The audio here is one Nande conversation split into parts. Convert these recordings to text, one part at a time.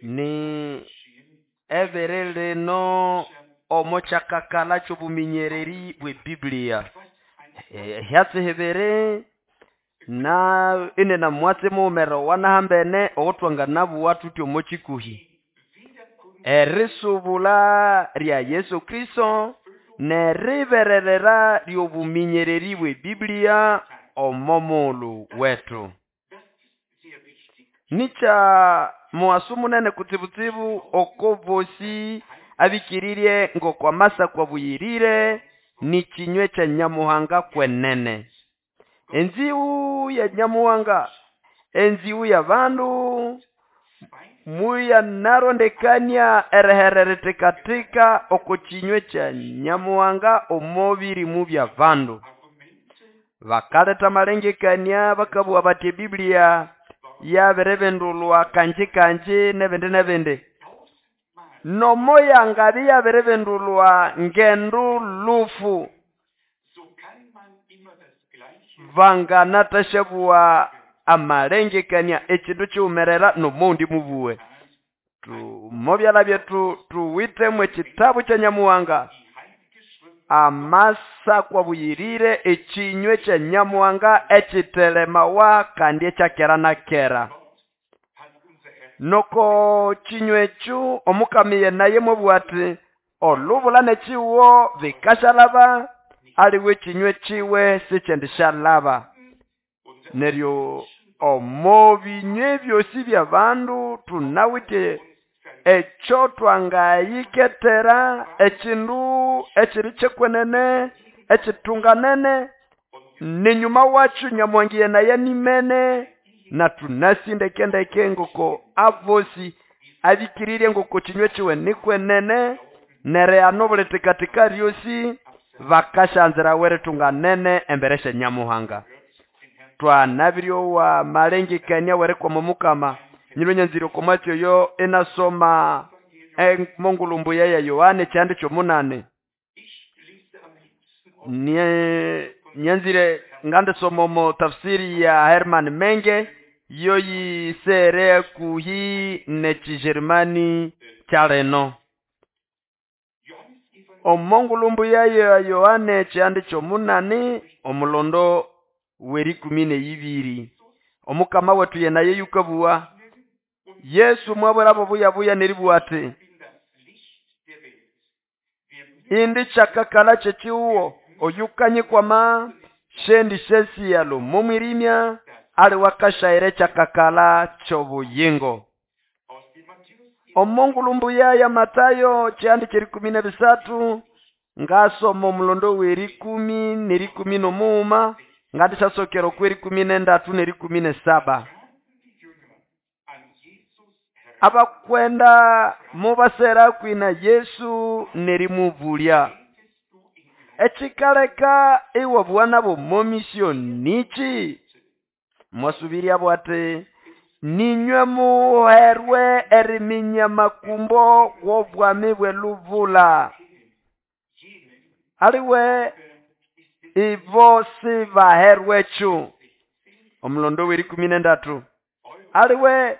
Ni ebiri lino omo kyakakalha kyobuminyereri bwe biblia ehyatsi hibiri na inina mwatsi mughumerere owanahambene owuthwanganabuwa thuthi omo kyikuhi erisubulha rya Yesu Kristo neribererera ryobuminyereri bwe biblia omo mughulhu wethu nikya mughaso munene kutsibutsibu oko bosi abikirirye ngoko amasako abuyirire nikinywe kya Nyamuhanga kwenene enzighu ya Nyamuhanga enzighu ya bandu muyanarondekania erihera erithekatheka oko kinywe kya Nyamuhanga omo birimu bya bandu bakaletha amalengekania bakabuwa bathi ebiblia yabiribindulhwa kanji kanji nebindi nebindi nomo yangabya iyabiribindulhwa ngendo lufu vanganathasyabugha amalengekania ekindu kighumerera nomowundi mubuwe omo byalha byethu thuwithemu ekitabu kya Nyamuhanga amasako abuyirire ekinywe kya Nyamuhanga ekithelemawa kandi ekya kera na kera noko kinywe ekyo omukama naye mwabuwa athi olubula nekihugo bikasyalhaba aliwe ekinywe kiwe sikyendisyalhaba neryo omo binywe ebyosi byabandu thunawithe ekyo twangayikethera ekindu ekiri kyekwenene ekitunganene nenyuma wakyo Nyamuhanga iyenayo animene na thunasi ndekendeke ngoko abosi abikirirye ngoko kinywe kiwe nikwenene nerighana obulithekatheka ryosi bakasyanzirawa eritunganene embere sya Nyamuhanga twanabiryowa amalengekania werikwama omukama nyilwe nyanzire oko mwatsi oyo inasoma emongulhu mbuya ya Yohana ekyihanda kyomunani nyanzire ngandisoma omo tafsiri ya Herman Menge yoyisere hakuhi nekijerumani kyalino omongulhu mbuya ya Yohana ekyihanda kyomunani omulondo werikumi neyibiri omukama wethu yenayo yukabuwa Yesu mwabwirabo buyabuya neribuwa ati indi kyakakalha kyekihugo oyukanyikwama syendisyasiyalha omo mwirimya aliwe akashayira ekyakakalha kyobuyingo omongulhu mbuya ya Matayo kyihanda kyerikumi nebisathu ngasoma omulondo werikumi nerikumi nomughuma ngandisyasokera okwerikumi nendathu nerikumi nesaba abakwenda mubasera hakuhi na Yesu nerimubulya ekikaleka iwabuwa nabo omo misyo niki mwasubiryabo ati ninywe muherwe eriminya amakumbo w'obwami bw'elubula aliwe ibo sibaherwekyo omulondo werikumi nendathu aliwe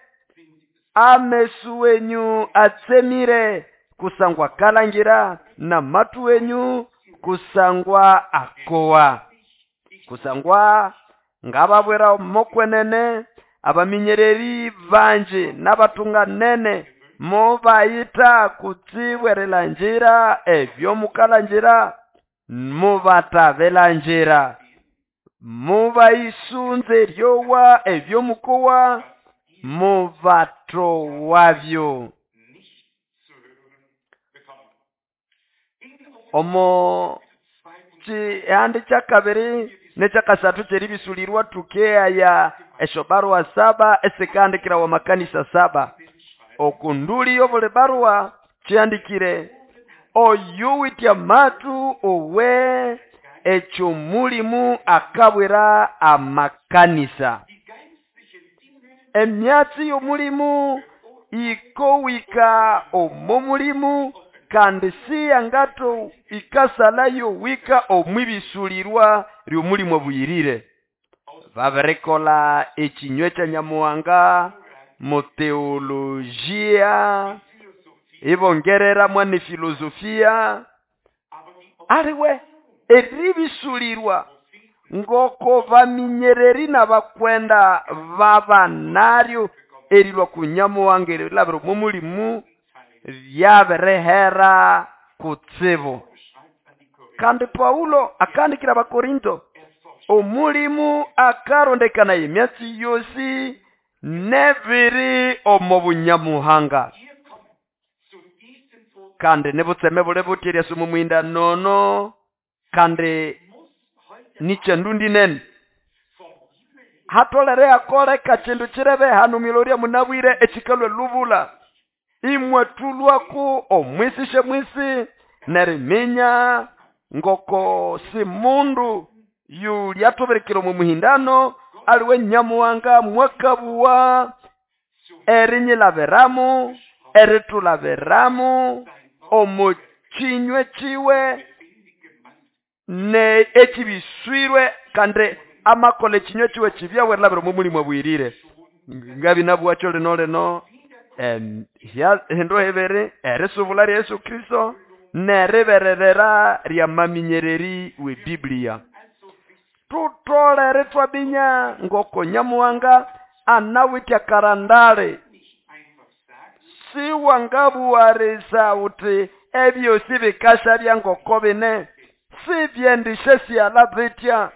amesu wenyu atsemire kusangwa kalangira na matu wenyu kusangwa akowa kusangwa ngababwira mokwenene abaminyereri banji n'abatunganene mubayita kutsibu erilangira ebyomukalangira mubatabilangira mubayisunza eryowa ebyomukowa mubatowabyo omo kihanda kyakabiri nekyakasathu kyeribisulirwa thukehaya esyobarua saba esikahandikirawa amakanisa saba okunduli yobuli barua kihandikire oyuwithe amathu owe ekyomulimu akabwira amakanisa emyatsi y'omulimu ikowika omo mulimu kandi siyangato ikasalayo wika omwibisulirwa ly'omulimu abuyirire. Babirikola ekinywe kya Nyamuhanga mu teolojia, ibongerera mwa ne filosofia, aliwe eribisulirwa ngoko baminyereri n'abakwenda babanaryo erilwa ku Nyamuhanga erilabira omo mulimu byabirihera kutsibu. Kandi Paulo akandikira Abakorinto, omulimu akarondekana emyatsi yosi nebiri omo bunyamuhanga. Kandi nibutseme buli buti eryasoma omuhinda nono, kandi nikyandundi nene. Hatolere akoleka kindu kirebe hano mwilorya munabwire ekikalwa lubula. Imwatulwaku omwisishe mwisi neriminya ngoko si mundu yulyatubirikira omu muhindano aliwe Nyamuhanga mwakabuwa erinyilabiramu eritulabiramu omu kinywe kiwe ne ekibiswirwe kandi amakola ekinywe kiwe kibyawe erilabira omu mulimu abwirire. Ngabi nabwakyo lino lino hindu hibiri erisubula rya Yesu Kristo neribererera rya maminyereri we Biblia. Tutolere twabinya ngoko Nyamuhanga anawitya karandale siwangabuwarisa uti ebyosi bikasha bya ngoko bine sibyendishe syala bitya.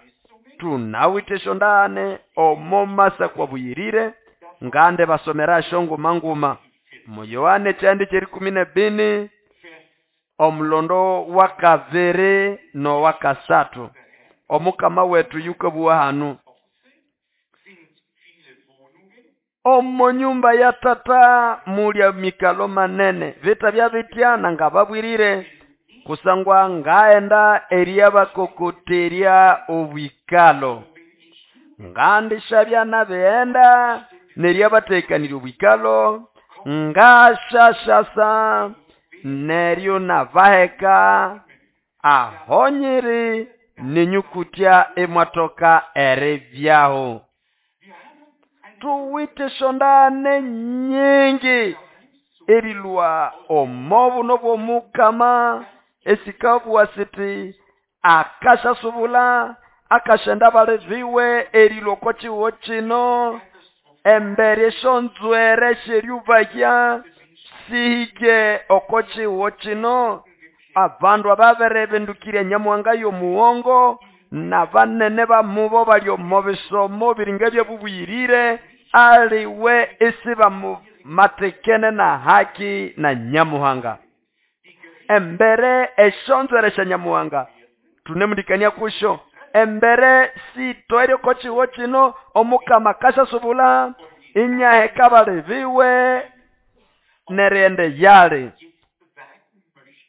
Tunawite shondane omo masa kwa buyirire ngande basomera shonguma nguma mu Yohane kyandi kyerikumi nebini omulondo wa kaviri no wa kasatu omukama wetu yukabuwa hanu. Omo nyumba ya tata mulya mikalo manene vita bya bitya nangababwirire kusangwa ngaenda eryabakokoterya obwikalo ngandisha nabeenda neryabatekanira obwikalo ngashashasa neryo nabaheka ahonyiri nenyukutya emwatoka eribyaho. Tuwite shondane nyingi erilwa omobu nobwomukama esikabwa siti akashasubula akashenda baleviwe erilwa ko chiwo chino embere shonzwere sheryubahya sihike oko chiwo chino abandu ababere bendukire Nyamuhanga yomuwongo na banene bamubo bali omo bisomo biringa byabubwirire aliwe isiba matekene na haki na Nyamuhanga. Embere eshonzwere sha Nyamuhanga tunemundikania kusho embere sitoere ko chiwo chino omukama kashasubula inyaheka baleviwe nerende yale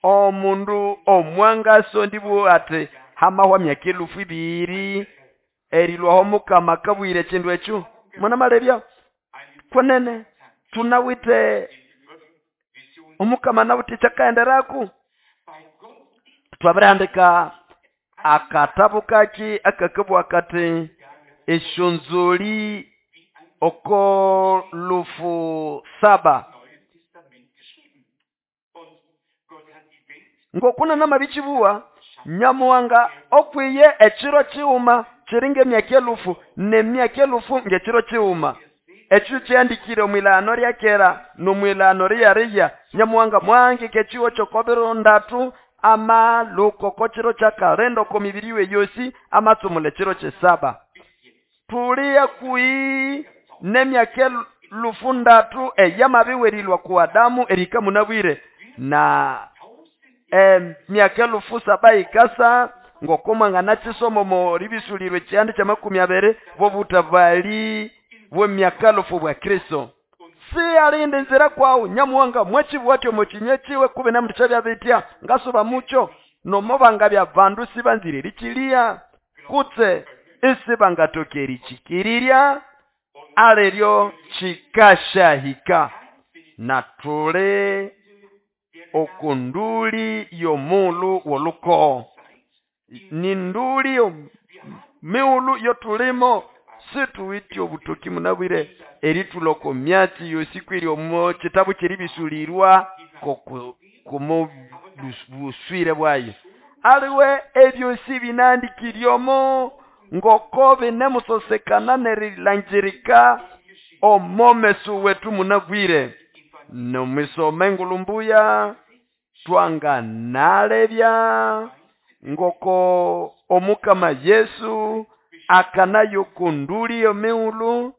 omundu omwangaso ndibu ati hamahwa myaka 2000 erilwaho mukama kabwire kindu ekyo mwana malebya kwenene tunawite omukama nawite kyakaenderaku. Twabirandika akatabu kaki akakabwa kati eshonzoli oko 7,000 ngokuna namabichibuwa Nyamuhanga okwiye ekiro kiwuma kiringa emyaka 1000 nemyaka 1000 ngekiro kiwuma. Ekyo kyandikire omwilano lya kera nomwilano lyariya Nyamuhanga mwangike ekiwo kyokobiro ndatu amaluko kokiro kya kalenda oko mibiri we yosi amatsumula ekiro kyesaba. Tuliya kui nemyaka 3,000 eyamabiwerilwa ku Adamu erika munabwire na myaka 7,000 ikasa ngoko mwangana kisomo mo ribisulirwe kyandi kya 20 bobutabali bwe myaka 1000 bwa Kristo. Si alinde nzira kwawu Nyamuhanga mwachibwatyo mokinye kiwe kube namutisha bya bitya ngasuba mucho nomobanga bya bandu sibanzire lichilia kutse isibangatokeri chikirirya aleryo chikashahika na tule okunduli yomulu woluko ni nduli yo miulu yotulimo Situwite obutoki munabwire eritulha oko myatsi yosi kweri omo kitabu ky'erĩbĩsũlĩrwa kumo buswire bwayo. Aliwe ebyosi bĩnahandĩkĩre omo ngoko binemusosekana n'erilangirika omo meso wetu munabwire. Nomwisoma engulu mbuya twanganalebya ngoko omukama Yesu akanayo oko ndũlĩ y'emighulhu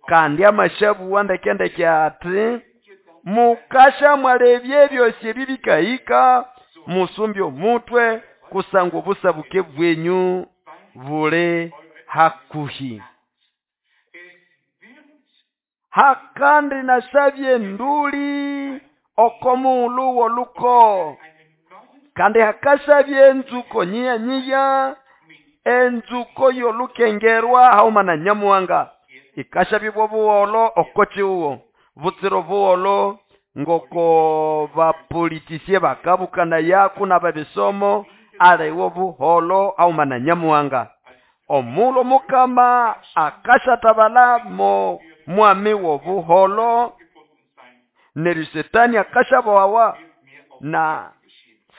kandi amasyabuwa ndeke-ndeke ati mukasya mwalebya ebyosi ebi bikahika musumbe omutwe kusangwa obusabuke bwenyu buli hakuhi. Hakandi nasabye enduli oko mughulhu w'oluko kandi hakasabye enzuko nyiya-nyiya enzuko y'olukengerwa haghuma na Nyamuhanga ikasabya bw'obuholho oko kihugho butsira obuholho ngoko bapolitisye bakabukanayaku n'abebisomo aliwe obuholho haghuma na Nyamuhanga. Omughulhu Omukama akasyatabala mo mwami w'obuholho neryo Setani akasyabohawa na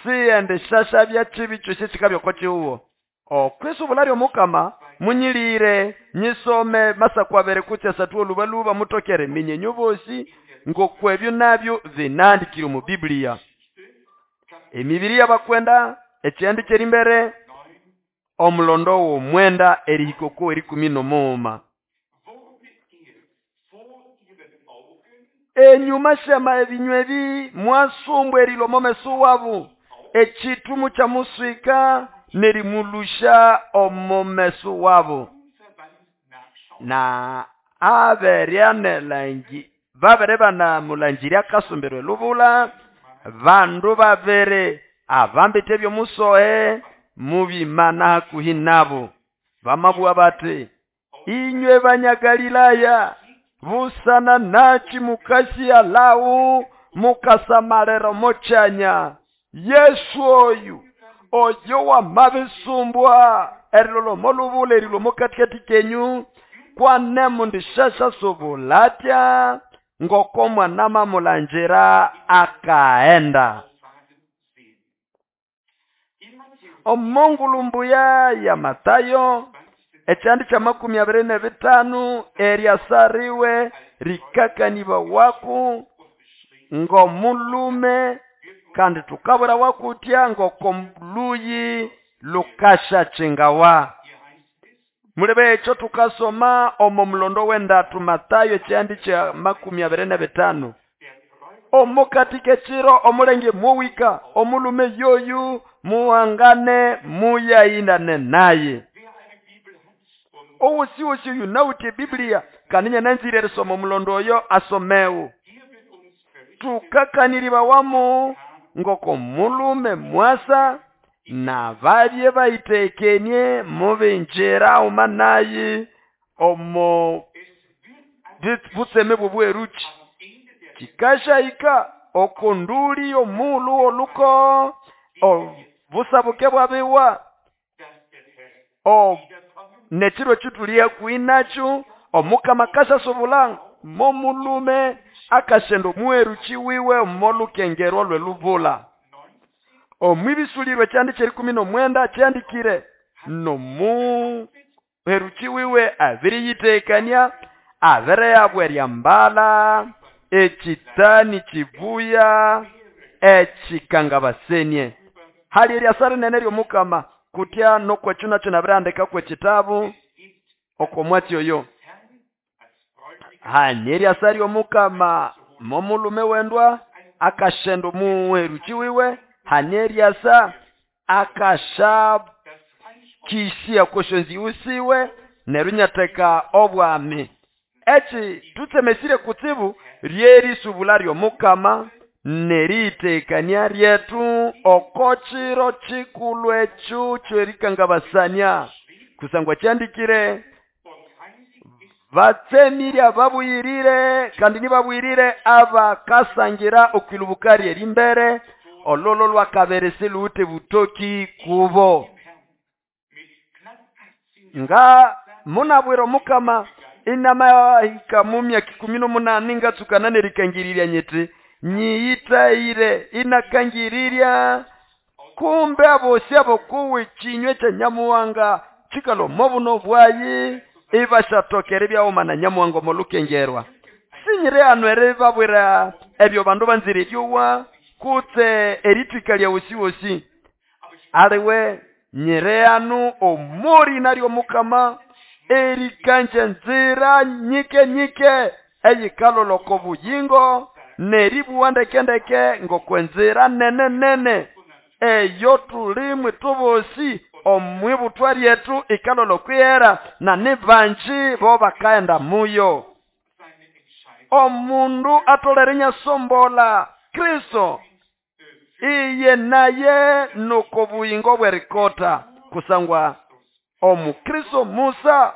siyendisyasyabya kibi kyosi ekikabya oko kihugho. Okwisubula ly'Omukama munyilire nyisome masaku abiri kutse asathu olubaluba mutoke eriminya inywe bosi ngoko ebyo nabyo binahandikire omu Biblia. Emibiri y'abakwenda ekyihandi ky'erimbere omulondo w'omwenda erihika oko w'erikumi n'omughuma. Enyuma syama ebinywa ebi mwasumbwa erilwa omo meso wabo ekitumu kyamuswika n'erimulusha omo meso wabo na aberyanelangi babere banamulangiria akasumbirwa elubula bandu babere abambite ebyomusohe mubimana hakuhi nabo bamabugha bati inywe Banyagalilaya busana nachi mukasiya lawu mukasamalira omo kyanya Yesu oyu oyo wamabisumbwa erilolwa omo lubula erilwa omo katikati kenyu kwane mundisyasyasubula atya ngoko mwana mamulangira akaghenda. Omo ngulu mbuya ya Matayo ekyihandi kya makumi abiri n'ebitanu eryasariwe rikakanibawaku ng'omulume kandi tukabwirawa kutya ngoko luyi lukasyakingawa. Mulebe ekyo tukasoma omo mulondo w'endatu Matayo ekyihandi kya makumi abiri n'ebitanu. Omo katika ekiro omulenge muwika omulume yoyu muhangane muyayindane naye. Owosi-wosi oyu nawithe Biblia kandi nyananzire erisoma omulondo oyo asomewo. Tukakaniribawamu ngoko mulume mwasa n'ababye bayitekenie mubingira haghuma naye omo butseme bw'obwerukyi. Kikasyahika oko nduli y'omughulhu w'oluko obusabuke bwabiwa n'ekiro ekyo hakuhi nakyo Omukama akasyasubula momulume akasyenda omuherukyi wiwe omo lukengerwa lw'elubula. Omw'ibisulirwa ekyihandi ky'erikumi n'omwenda kyahandikire n'omuherukyi wiwe abiriyitekania abirihabwa eryambalha ekitani kibuya ekikangabasenie. Hali eryasa rinene ly'Omukama kutya n'okwekyo nakyo nabirihandika kw'ekitabu oko mwatsi oyo. Hanya eryasa ly'Omukama momulume wendwa akasyenda omuherukyi wiwe hanya eryasa akasyakisya okw'esyonzĩgho siwe neryo inyatheka obwami. Eki tutsemesire kutsibu ly'erisubula ly'Omukama n'eriyitekania lyethu oko kiro kikulhu ekyo ky'erikangabasania kusangwa kyahandikire batsemire ababuyirire kandi nibabuyirire abakasangira okwilubuka ly'erimbere ololo lwakabiri siluwithe butoki kubo. Nga Munabwira Omukama inamahika mu myaka 18 ngatsukana nerikangirirya nyiti nyiyitayire inakangirirya kumbe abosi abokuwe chinywe kya Nyamuhanga chikalo mobuno bwayi ibashatokere byawoma na Nyamuhanga omolukengerwa. Sinyire hano eribabwira ebyo bandu banzire eryowa kutse eritwika lya wosi wosi. Aliwe nyire hano omori naryo Mukama erikanja nzira nyike nyike eyikaloloko buyingo neribuwa ndeke ndeke ngokwenzira nene nene eyo tulimwe tubosi omwibutwa ryetu ikalolokwihera na nibanji bo bakaenda muyo. Omundu atolere nyasombola Kristo iye naye nuko buyingo bwerikota kusangwa omukristo Musa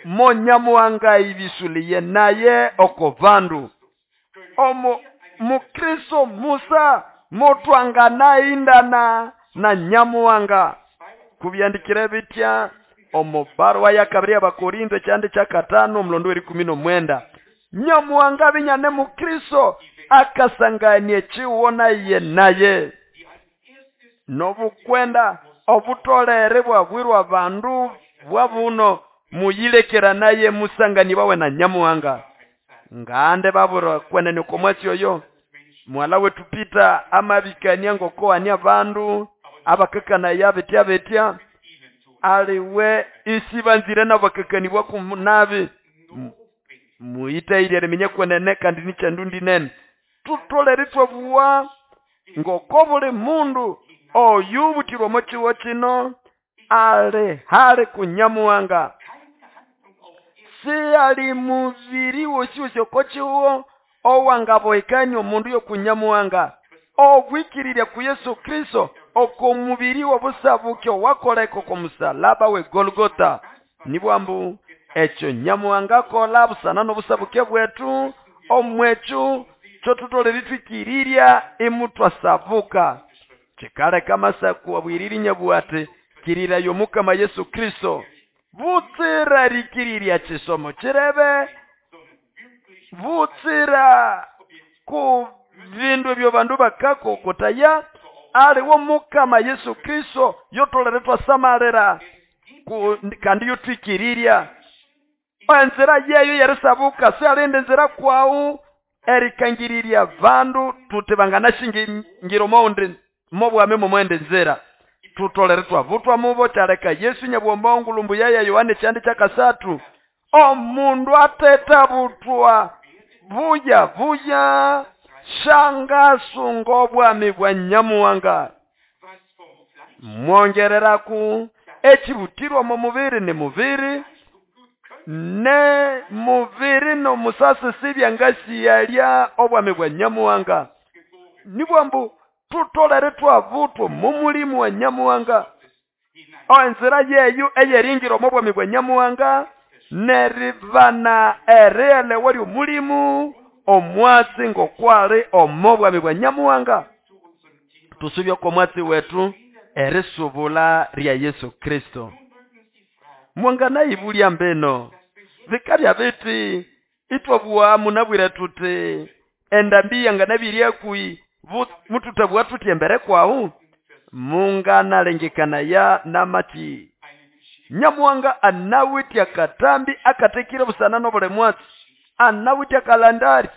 monyamuhanga ibisuliye naye oko bandu. Omu mukristo Musa motwangana indana na Nyamuhanga. Kubyandikire bitya omu barua ya kabiri y'Abakorinto ekyandi kya 5 omulondo w'erikumi n'omwenda. Nyamuhanga binyane mukristo akasanganie chiwona iye naye nobukwenda obutolere bwabwirwa bandu bwabuno muyilekera naye musangani bawe na Nyamuhanga. Ngande babura kwenene komwatsi oyo mwala wetu Pita amabikania ngokoania abandu abakakana yabetya betya aliwe isibanzire nabakakanibwa kunabi muyitaire remenye kwenene kandi nichandundi nene tutolere twabuwa ngoko buli mundu oyubutirwa mochiwo chino ale hale kunyamuhanga. Si ali muviri wosi wosi okochiwo owangaboikanya omundu yokunyamuhanga obwikirirya ku Yesu Kristo oko mubiri wobusabuke owakoleka oko musalaba we Golgotha. Nibwambu ekyo Nyamuhanga akola busana n'obusabuke bwetu omwechu kyotutolere twikirirya imutwasabuka. Kikaleka amasaku abwiriri nyabwate kirira yomukama Yesu Kristo butsira rikirirya chisomo chirebe butsira ku vindu ebyo bandu bakakokotaya aliwo Mukama Yesu Kristo yotolere twasamalira kandi yotwikirirya enzira yeyo yerisabuka sialinde nzira kwawu erikangirirya bandu tuti banganashingiro moundi mobwame momwende nzira tutolere twavutwa mubo kyaleka Yesu nyabwomba ngulumbu yaya Yohane kyandi kyakasatu omundu atetabutwa buya buya shangasunga obwami bwa Nyamuhanga. Mwongereraku ekibutirwa mu mubiri ni mubiri ne mubiri nomusasi sibyangasi yalya obwami bwa Nyamuhanga. Nibwambu tutolere twavutwa mu mulimu wa Nyamuhanga enzira yeyu eyeringira omu bwami bwa Nyamuhanga neribana erielewa ly'omulimu omwatsi ngokwali omu bwami bwa Nyamuhanga. Tusubye oko mwatsi wetu erisubula lya Yesu Kristo. Mwangana ibulya mbeno bikabya biti itwabua munabwire tuti endambi yanganabirya kui mututabua tuti embere kwawu munganalengekana ya namati. Nyamuhanga anawitya katambi akatekire busana nobule mwatsi anawitya kalandari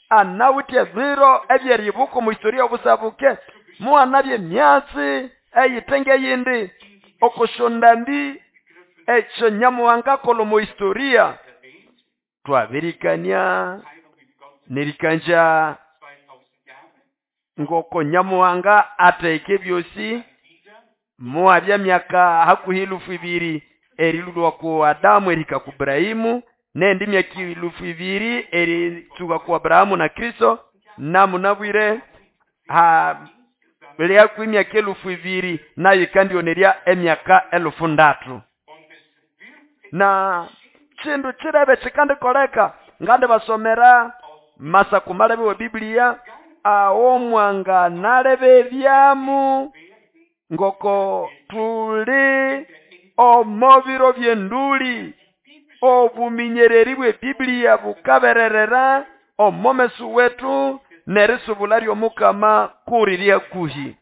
anawitya biro ebyeribuko mu historia obusabuke muanabye myatsi eyitenge yindi okoshondambi ekyo Nyamuhanga kolo mu historia twabirikania nerikanja ngoko Nyamuhanga ateke byosi muabya myaka hakuhi 2000 erilulwa ku Adamu erika ku Ibrahimu nendi myaka 2000 eritsuka ku Abrahamu na Kristo namunabwire ha lya ku myaka 2000 nayo kandi onerya emyaka 3000. Na chindu chirebe chikandi koleka ngande basomera masaku malebe wa Biblia awo mwanga nalebe byamu ngoko tuli Omo biro by'enduli obuminyereri bw'ebiblia bukabererera omo meso wetu n'erisubula ly'omukama kuri hakuhi.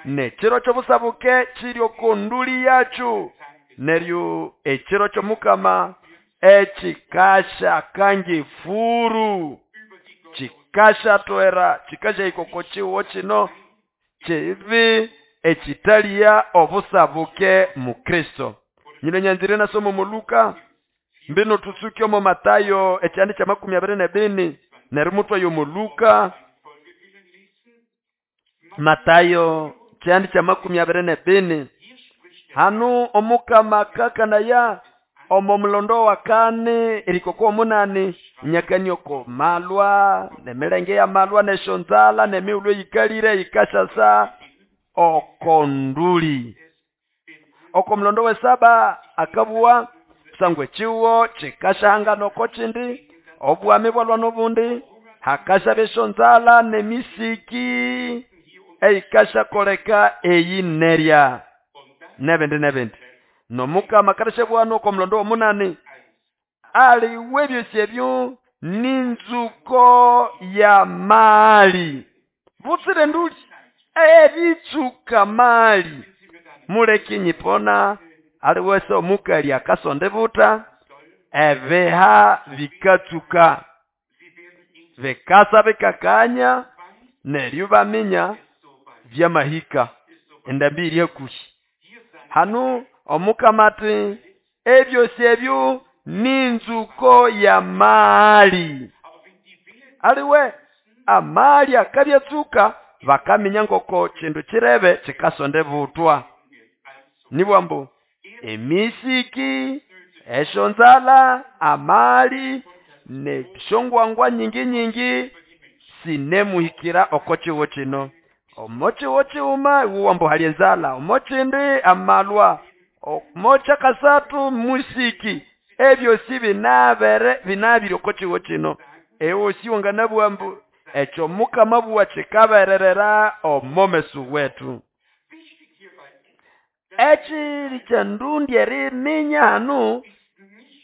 N'ekiro ky'obusabuke kiri oko nduli yakyo, neryo ekiro ky'omukama ekikasha kang'efuru kikashatwera kikashahika oko kihugo kino kibi ekitaliya obusabuke mu Kristo. Nyino nyanzire nasoma omo Luka mbino tutsuke omo Matayo ekyandi kya 24 neryo mutwayo omo Luka. Matayo kyandi kya 24 hanu omukama akakanaya omo mulondo wa kane erikoko omunani nyakani oko malwa nemilenge ya malwa neshonzala nemiulo yikalire yikashasa okonduli. Oko mulondo we saba akabuwa sangwe chiwo chikashahanga noko chindi obwami bwalwa nobundi hakasha beshonzala nemisiki eikasha koleka eyinerya nebindi nebindi. Nomukama kareshe bwano oko mulondo omunani aliwe byosi ebyo ninzuko ya mali butsire nduli ebitsuka mali muleki nyipona aliwese omukali akasonde buta ebeha bikatsuka bekasa bekakanya neryo baminya byamahika endambi iri hakuhi. Hanu omukama ati ebyosi ebyo ninzuko ya mali aliwe amali akabyatsuka bakaminya ngoko kindu kirebe kikasonde butwa. Nibwambu emisiki eshonzala amali neshongwangwa nyingi nyingi sinemuhikira oko kiwo kino. Omo kiwo kiuma iwambu hali enzala, omo kindi amalwa, omo kyakasatu musiki, ebyo si binabere binabiri oko kiwo kino. Ewo si wanganabwambu ekyo mukama bwa kikabererera omo mesu wetu. Ekiri kyandundi eriminya hanu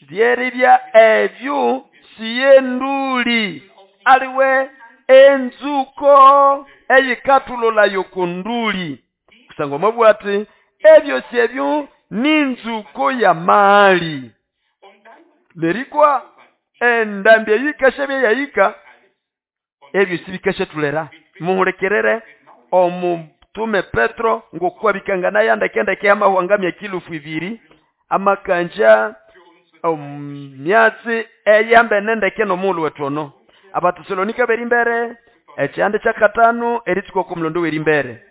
lyeribya ebyo siyenduli aliwe enzuko eyikatulula yokunduli kusangwa mabwati ebyo syebyo ninzuko ya mali nerikwa endambi eyikashebye yayika ebyo sibikashatulera. Muhulekerere omutume Petro ngokwabikangana yandekendeke amahwanga myakilufu ibiri amakanja myatsi eyambe nendeke nomulu wetono. Abatesalonika berimbere ekyande kyakatano eritsuka ku mulondo werimbere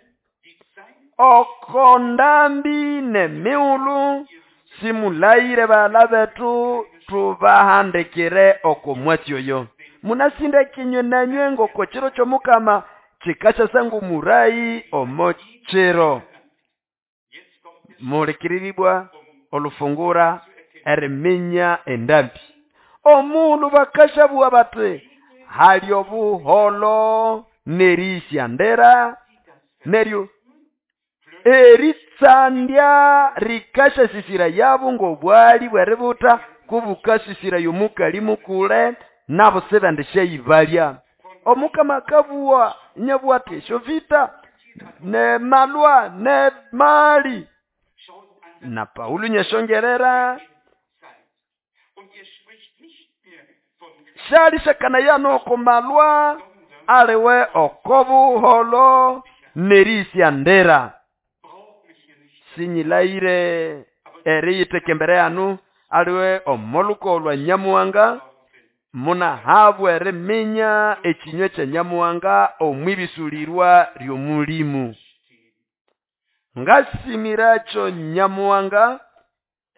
okondambi nemiulu simulayire bala betu tubahandikire oko mwatsi oyo. Munasinde kinywe nanywe ngoko kiro ky'omukama kikashasa ng'omurayi omo kiro. Mulekiriribwa olufungura eriminya endambi. Omulu bakashabua bati hali obuholo nerisya ndera neryo eritsandya rikashasisira yabo ng'obwali bweributa kubukasisira yomukali mukule nabo sebandishayibalya. Omukama akabua nyabwate esyo vita ne malwa ne mali. Na Paulo nyashongerera shalishakana yano komalwa aliwe okobuholo nerisya ndera. Sinyilaire eriyiteke mbere yanu aliwe omoluko lwa Nyamuhanga munahabwa eriminya ekinywe kya Nyamuhanga omwibisulirwa ly'omulimu. Ngasimiracho Nyamuhanga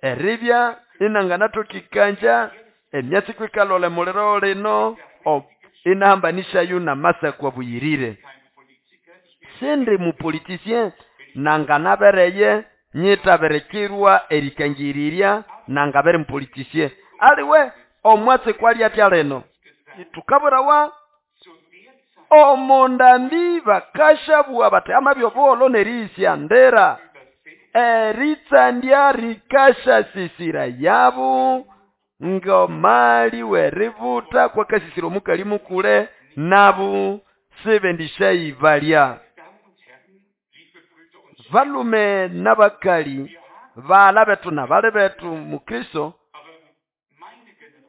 eribya inanganatokikanja emyatsi kwikalole muliro lino inahambanishayo namasakwa buyirire. Sindi mupolitisien nanganabereye nyitaberekirwa erikangiriria nangabere mupolitisien aliwe omwatsi kwali atya lino tukaburawa omundambi bakashabua bati amabyo buholo nerisya ndera Eritsandya rikashasisira yabo ngomali weributa kwakasisira omukali mukule nabo sibendishayibalya. Balume n'abakali bala betu na bali betu mukristo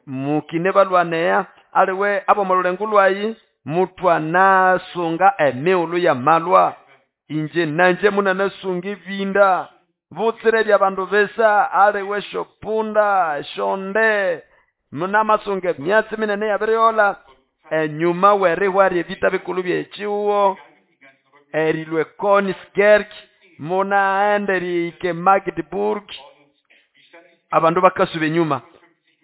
mukine balwanea aliwe abo mululengo lwayi mutwanasunga emiulu ya malwa inje nanje munanasunga ebinda butsire bya bandu besa aliwe shopunda shonde munamasunga emyatsi minene yabiriola enyuma werihwari ebita bikulu byechiwo erilwe Königsberg munaenda erihika Magdeburg abandu bakasuba enyuma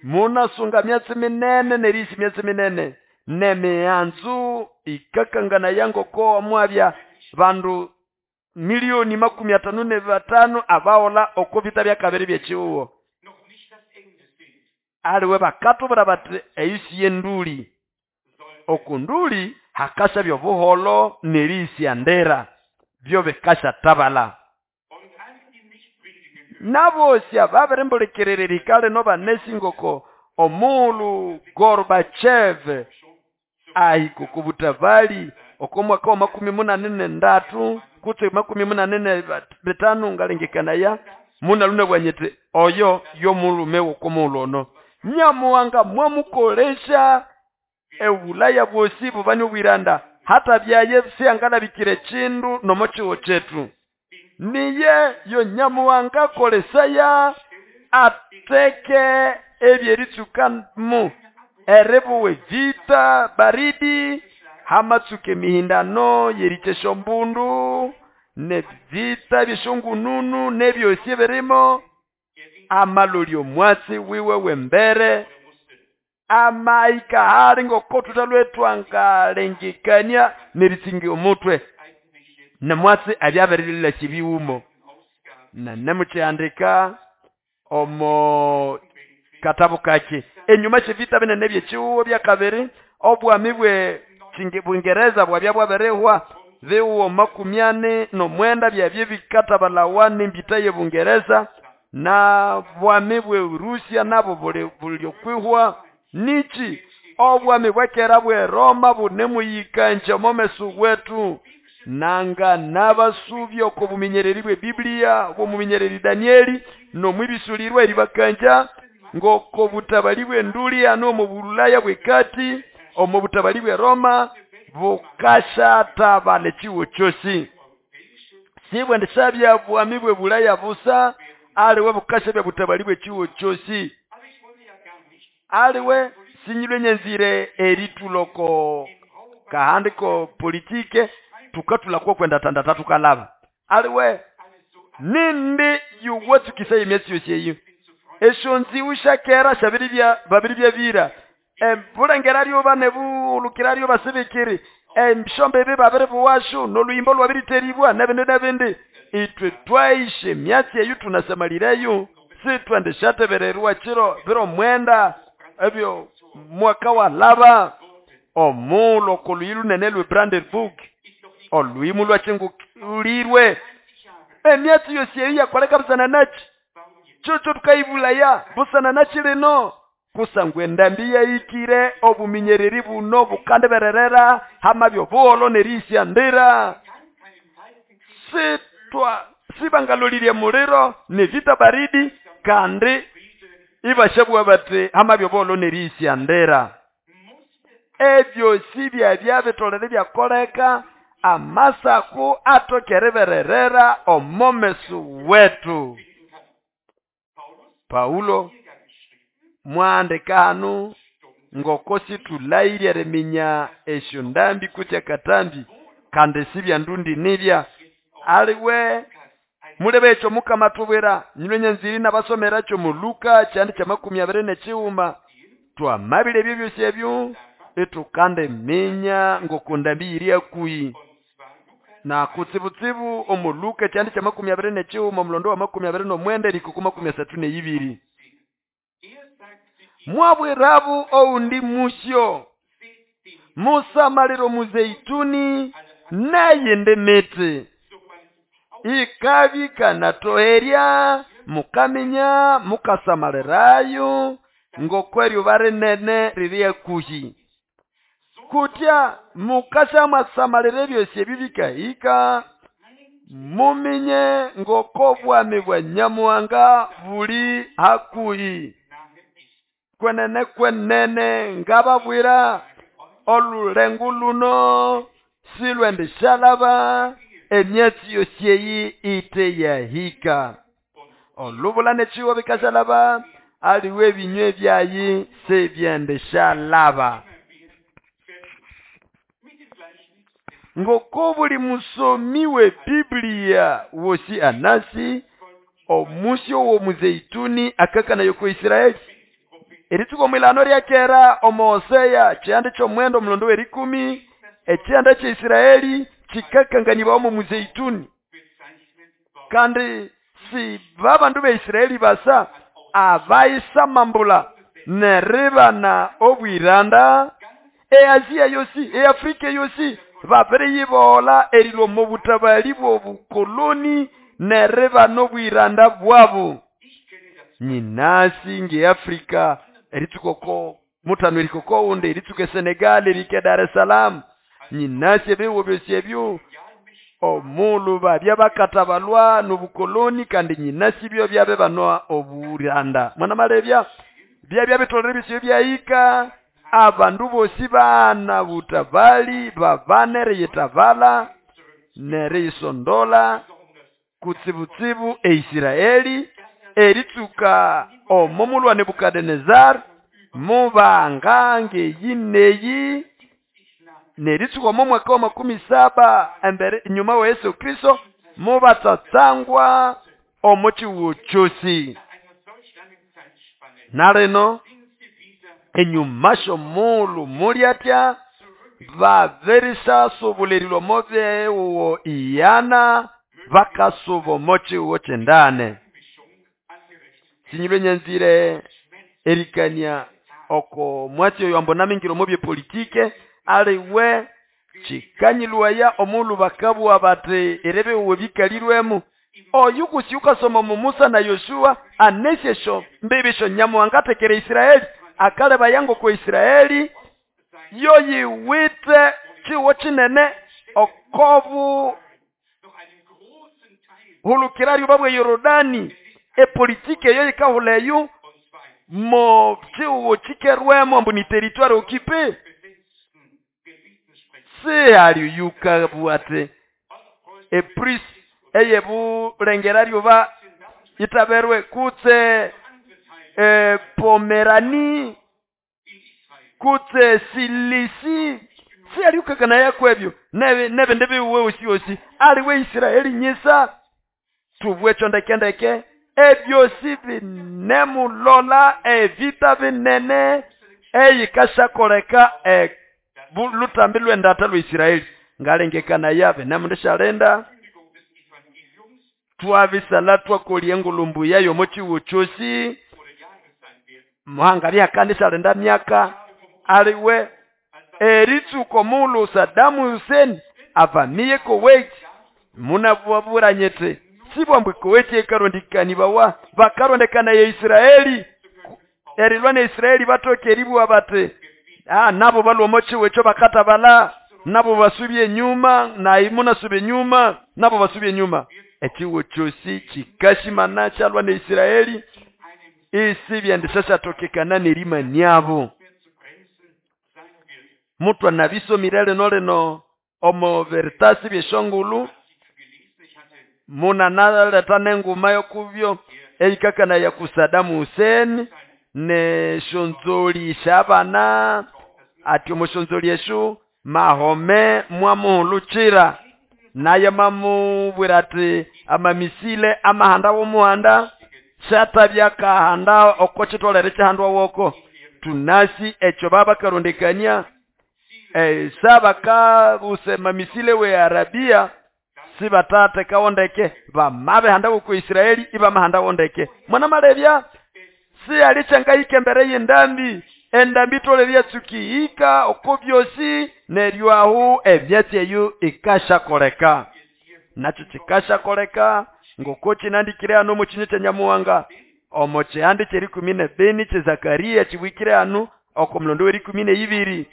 munasunga myatsi minene nerisi myatsi minene nemianzu ikakangana yangoko mwabya bandu 55,000,000 abaola oko vita bya kabiri byechiwo aliwe bakatubura bati eyisi yenduli okunduli hakasa byobuholo nerisi andera byo bikasha tabala nabosi ababirimbulikirira no banesingoko omulu Gorbachev ahikukubutabali okomwaka wa 83 kutse 85 ngalengekanaya munaluna bwanyete oyo yomulume wokomuluno nyamuwanga mwamukolesha ebulaya bwosi bubani obwiranda hata byaye siangalabikire chindu nomochiwo chetu niye yo nyamuwanga kolesaya ateke ebyeritsukamu erebuwe vita baridi hamatsuke mihindano yerichesho mbundu ne vita byeshongununu nebyosi birimo amalolyo mwatsi wiwe wembere amaika hali ngokotuta lwetu angalengekania neritsingi omutwe nemwatsi abyaberilila kibiwumo na nemuchiandika omo katabu kake enyuma chivita binene byechiwo bya kabiri obwami bwe Bungereza bwabya bwaberehwa biwo 49 byabye bikatabalawa nembita ye Bungereza na bwami bwe Rusia nabo bulyokwihwa nichi obwami bwekera bwe Roma bunemuyikanje omomesu wetu nanga nabasubyo ko buminyereri bwe Biblia bwo muminyereri Danieli no mwibisulirwa eribakanja ngoko butabali bwe nduli ano mu Bulaya bwekati omo butabali bwe Roma bukasha tabale chiwo chosi sibwe ndisabya bwami bwe Bulaya busa aliwe bukasha bya butabali bwe chiwo chosi aliwe sinyilwe nyenzire erituloko kahandiko politike tukatula kwa kwenda tanda tatu kalava aliwe nindi yuwatsukisa emyatsi yose eyo eshonzi ushakera shabiri bya babiri bya bira embulengera ryoba nebulukira ryoba sibikiri emshombe ebe babiri buwashu noluyimbo lwabiriteribwa nebindi nebindi itwe twaishe myatsi eyo tunasamalireyo sitwendeshatebererwa chiro biro mwenda ebyo mwaka wa lava omulo koluyilu nene lwe Brandenburg olwimu lwachingulirwe emyatsi yose eyo yakoleka busana nachi chocho tukaibulaya busana nachi lino kusangwe endambi yaikire obuminyereri buno bukandebererera hamabyo buholo nerisia ndira sitwa sibangalolirye muliro ni vita baridi kandi ibashabwa bati hamabyo buholo nerisia ndira ebyo sibya byabitolere byakoleka amasaku atokerebererera omomesu wetu. Paulo mwandika hanu ngoko situlairye reminya esyo ndambi kutya katambi kandi sibya ndundi nibya aliwe mulebe ekyo mukama tubwira nyilwe nyanziri nabasomera kyo mu Luka kyandi kya 29 twamabile ebyo byosi ebyo etukande minya ngoko ndambi iri akuyi na kutsibutsibu omu Luka kyandi kya 29 omulondo wa 29 erikuku 32 mwabwirabu oundi musyo musamaliro muzeituni nayende miti Ikabya ikanatoherya mukaminya mukasamalirayo ngokweryuba rinene riri hakuhi. Kutya mukashamwasamalira ebyosi ebyo bikahika, muminye ngoko bwami bwa Nyamuhanga buli hakuhi. Kwenene kwenene ngababwira, olulengo luno silwendishalaba emyatsi yosi eyi ite yahika. Olubula n'ekihugo bikashalaba, aliwe ebinywe byayi sibyendishalaba. Ngoko buli musomi we Biblia wosi anasi, omusi w'omuzeituni akakanaya oko Israeli. Eritsuka omwilano lya kera omo Hosea kihanda ky'omwenda omulondo w'erikumi, ekihanda kya Israeli kikakanganibwa omo muzeituni. Kandi si babandu ba Israeli basa abayisamambula neribana obwiranda, eAsia yosi, eAfrika yosi babiriyibola erilwa omo butabali bw'obukoloni neribana obwiranda bwabo. Nyinasi ngeAfrika eritsuka oko mutano erika oko wundi, eritsuka eSenegal, erika Dar es Salaam. Nyinasi ebihugo byosi ebyo omulhu babya bakatabalwa n'obukoloni kandi nyinasi byo byabibanwa oburanda. Mwanamalebya byabya bitolere ebyosi ebyahika, abandu bosi baghana butabali babane eriyitabala neriyisondola kutsibutsibu eIsiraeli eritsuka omo mulhu wa Nebukadinezari mubanga ngeyi neyi neritsuka omo mwaka wa 70 embere nyuma wa Yesu Kristo mubatsatsangwa omo kihugo kyosi. Nalino enyuma sy'omulhu mulyatya babirisasubulirirwa omo bihugo iyana bakasuba omo kihugo kyendane. Sinyilwe nyanzire erikania oko mwatsi oyo ambu namingira omo byepolitike, aliwe kikanyilwaya omulhu bakabugha bati eribihugo bikalirwemo. Oyu kusi ukasoma omo Musa na Yoshua anesi esyo mbibi syo Nyamuhanga atekera Israeli, akalebaya ngoko Israeli yoyiwithe kihugo kinene okobu hulukira lyuba bwa Yorodani. Epolitike eyo yikahula eyo mo kihugo kikerwemo ambu ni territoire occupée. Sihali yukabugha ati ePrusse eyebulengera lyuba itaberwe kutse Pomerani kutse Silisi, sihali yukakana kwebyo nebindi bihugo osi osi aliwe Israeli nyisa tubwekyo ndekendeke ebyosi binemulola evita binene eyikashakoleka lutambi lw'endata lwa Israeli. Ngalengekana yabe nemundishalinda twabisala twakolya engulumbu yayo omo kihugo kyosi muhanga byakandishalinda myaka aliwe eritsuka omulhu Saddam Hussein avamiye Kuwait munabwaburanyete sibwambwe Kuwait ekarondekanibawa bakarondekana ya Israeli erilwa na Israeli batoke eribwa bati nabo balwa omo kihugo ekyo bakatabala nabo basubye enyuma nayi munasubye enyuma nabo basubye enyuma. Ekihugo kyosi kikashimana kyalwa na Israeli isi byendishashatokekana n'erimaniabo. Mutwa nabisomire lino lino omo veritasi byeshongulu muna naleta n'enguma yokubyo eyikakana ya ku Saddam Hussein neshonzoli shabana ati omushonzoli eshu Mahome mwamuhulukira naye mamubwira ati amamisile amahanda w'omuhanda syatabya kahanda oko kitolere kihandwa woko. Tunasi ekyo babakarondekania sabakabuse mamisile we Arabia sibatatekawo ndeke bamabihanda woko Israeli ibamahanda wondeke. Mwana malebya siyalichangayike embere y'endambi endambi itolere yatsukihika oko byosi neryo ahu emyatsi eyo ikashakoleka. Nakyo kikashakoleka ngoko kinandikire hano omo kinywa kya Nyamuhanga, omo kihande ky'erikumi n'ebini kye Zakaria kibwikire hano oko mulondo w'erikumi n'eyibiri.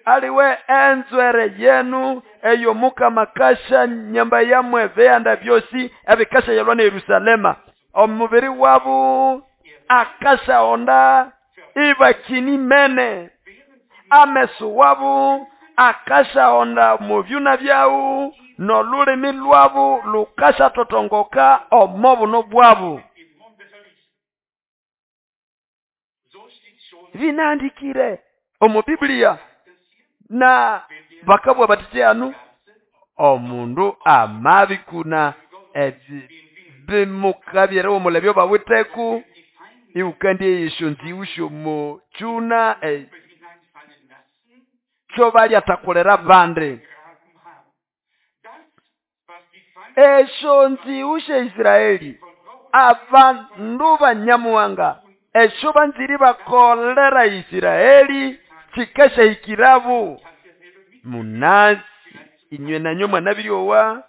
Aliwe enzwere yenu eyo Mukama kasha nyamba yamwe bihanda byosi ebikashayalwa na Yerusalema. Omubiri wabu akashaonda ibakini mene, ameso wabu akashaonda mu byuna byawu, n'olulimi lwabu lukashatotongoka omo buno bwabu. Binaandikire omu Biblia na bakabwa bati hanu omundu amabikuna bimukabyere omulebyo bawiteku iukandi eyesyo nziwu syomo kyuna kyo balyatakulira bandi. Esyo nziwu sya Israeli abandu ba Nyamuhanga esyo banziri bakolera Israeli kikashahikirabu. Munasi inywe nanywe mwanabiryowa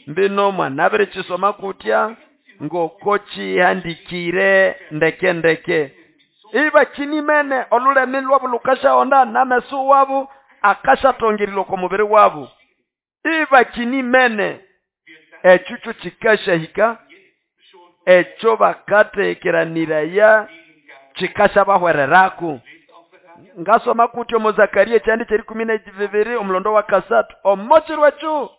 mbino mwanabirikisoma kutya ngoko kihandikire ndeke ndeke. Ibakinimene olulemi lwabu lukashaonda n'ameso wabu akashatongererwa oko mubiri wabu. Ibakinimene ekyo kyo kikashahika, ekyo bakatekeraniraya kikashabahwererako. Ngasoma kutya omo Zakaria ekyandi ky'erikumi na bibiri omulondo wa kasatu omo kiro ekyo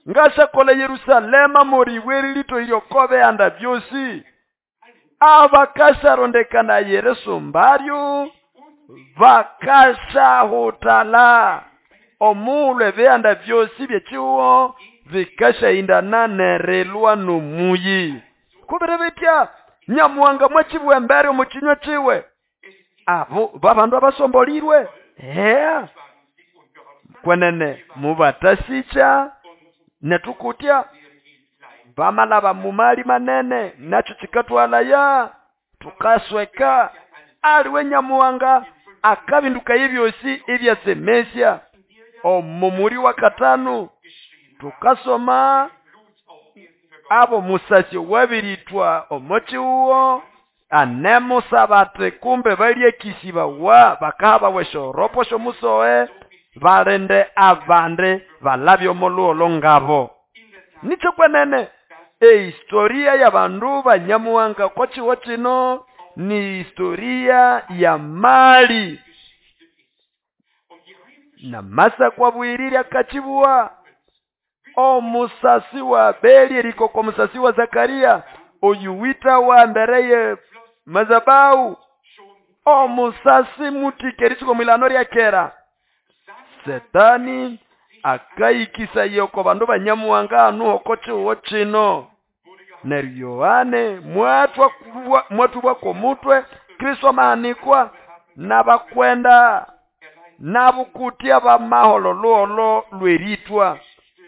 ngashakola Yerusalema moriwe litoirye oko bihanda byosi abakasharondekana yeresumbaryo bakashahutala omulwe ebihanda byosi byekiwo bikashahindana nerilwa n'omuyi. Kubiri bitya Nyamuhanga mwakibwa embere omu kinywa kiwe abo babandu abasombolirwe kwenene mubatasicha netukutya bamalaba mumali manene nakyo kikatwalaya tukasweka. Aliwe Nyamuhanga akabinduka ebyosi ebyasemesya. Omu muri wa katano tukasoma abo musasyo wabiritwa omochiuwo anemusabate kumbe balyekisibawa bakahaba weshoropo shomusoe balinde abande balabye omuluolo ngabo. Nicho kwenene ehistoria ya bandu ba Nyamuhanga kwa chiwo chino ni historia ya mali na masa kwa bwiriri akachibua omusasi wa Beli eriko kwa musasi wa Zakaria oyuwita wa mbereye mazabau omusasi mutikerisiko mwilano lya kera. Setani akaikisa yoko bandu ba Nyamuhanga anu oko chiwo chino. Neryo Yohane mwatubwa komutwe Kristo maanikwa n'abakwenda n'abukutia bamaholo luolo lweritwa.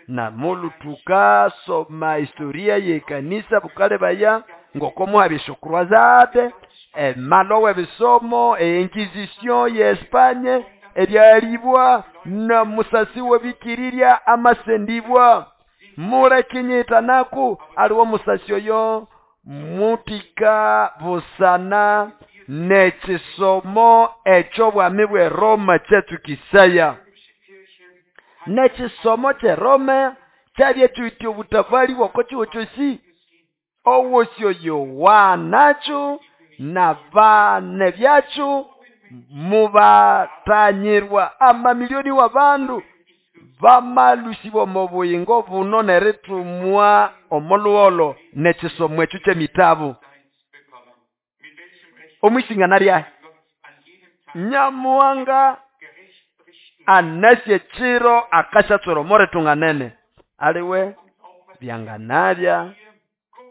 Namulu tukasoma historia yekanisa bukale baya ngoko muhabisho croisade emalo ebisomo einquisition ye Espanye ebyalibwa na musasi webikiriria amasendibwa mule kinyita naku aliwo musasi oyo mutika busana nekisomo ekyo bwami bwe Roma kyetukisaya. Nekisomo kye Roma kyabye kyuti obutafali bwako kiwo kyosi owosyo Yohana na bane byacu mubatanyirwa amamilioni wa bandu bamalusibwa mu buyingo buno neritumwa omoluolo nekisomo ekyo kyemitabu omwisingana lyahe. Nyamuhanga anasye chiro akashatsoro moretunganene aliwe byanganabya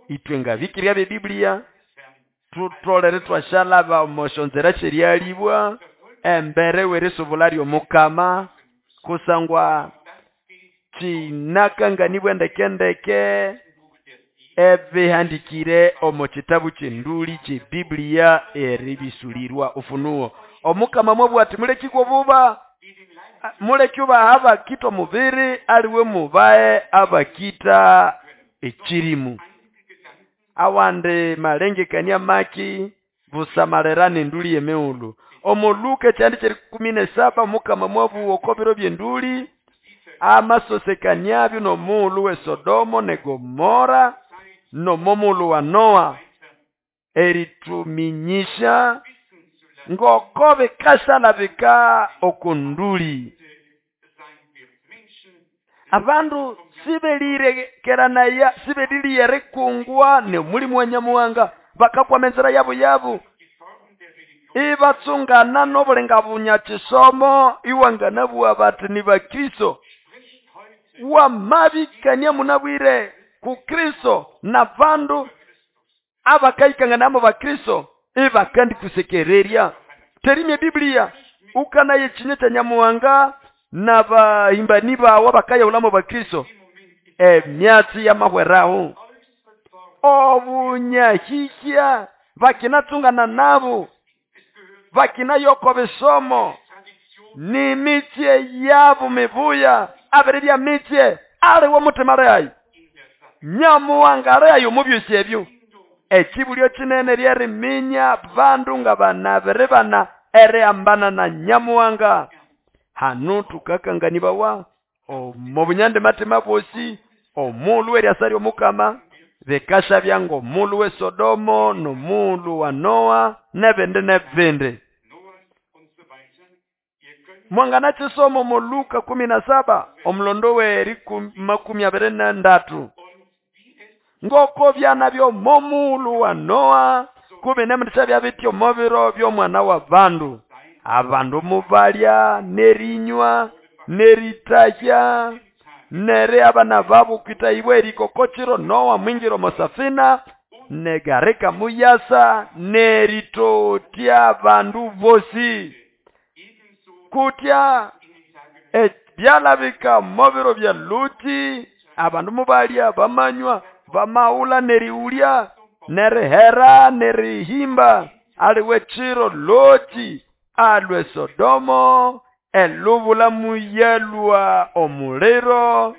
itwe ngabikirya bye Biblia tutolere twashalaba omoshonzera sheryalibwa embere werisubula ly'omukama kusangwa kinakanganibwa ndekendeke ebihandikire omu kitabu ky'enduli kye Biblia eribisulirwa Ufunuo. Omukama mwabwa ati mulekikwa buba Muleke ubaha abakĩta omubiri, aliwe mubahe abakĩta ekĩrĩmũ. Awandi malengekania maki busamalira n'endũlĩ y'emighulhu. Omo Luka ekyanda ky'erĩkũmĩ n'esaba Omukama mwabugha oko biro by'endũlĩ amasosekanĩabyo n'omughulhu w'eSodomo n'eGomora n'omo mughulhu wa Noa, erĩtũmĩnyĩsya ngoko bikasyalabika oko ndũlĩ. Abandu sibelirekeranaya, sibelĩlĩgha erikungwa n'omulimo wa Nyamuhanga, bakakwama enzira yabo yabo, ibatsungana n'obulinga bunyakyisomo, iwanganabugha bati ni Bakristo. Wamabĩkania munabwire ku Kristo n'abandu abakayikanganaya mo Bakristo ibakandikusekererya. Terimya Biblia ukanaya ekinywa kya Nyamuhanga n'abahimbani bawe abakayahulamo Bakristo, emyatsi yamahweraho. Obunyahĩhya bakinatsungana nabo, bakinaya oko bisomo, n'emitsye yabo mibuya, abiribya mitsye, aliwe omutima alihayi? Nyamuhanga alihayi omo byosi ebyo? Ekibulyo kinene lyeriminya bandu nga banabiribana erihambana na Nyamuhanga. Hanu tukakanganibawa omo bunyandima-tima bwosi, omughulhu w'eryasa ly'Omukama bikasyabya ng'omughulhu w'eSodomo n'omughulhu wa Noa n'ebindi n'ebindi. Mwanganakyisoma omo Luka 17 omulondo w'erikumi abiri n'endatu. Ngoko byana by'omo mughulhu wa Noa kumi n'emindisya byabitya omo biro by'omwana w'abandu. Abandu mubalya n'erinywa n'eritahya neri abana babo kwitahibwa erihika oko kiro Noa mwingira omo safina negarika muyasa neritotya abandu bosi. Kutya ebyalabika omo biro bya Luti, abandu mubalya bamanywa bamaghulha nerighulya nerihera nerihimba, aliwe kiro Loti alwa eSodomo elubula muyalwa omuliro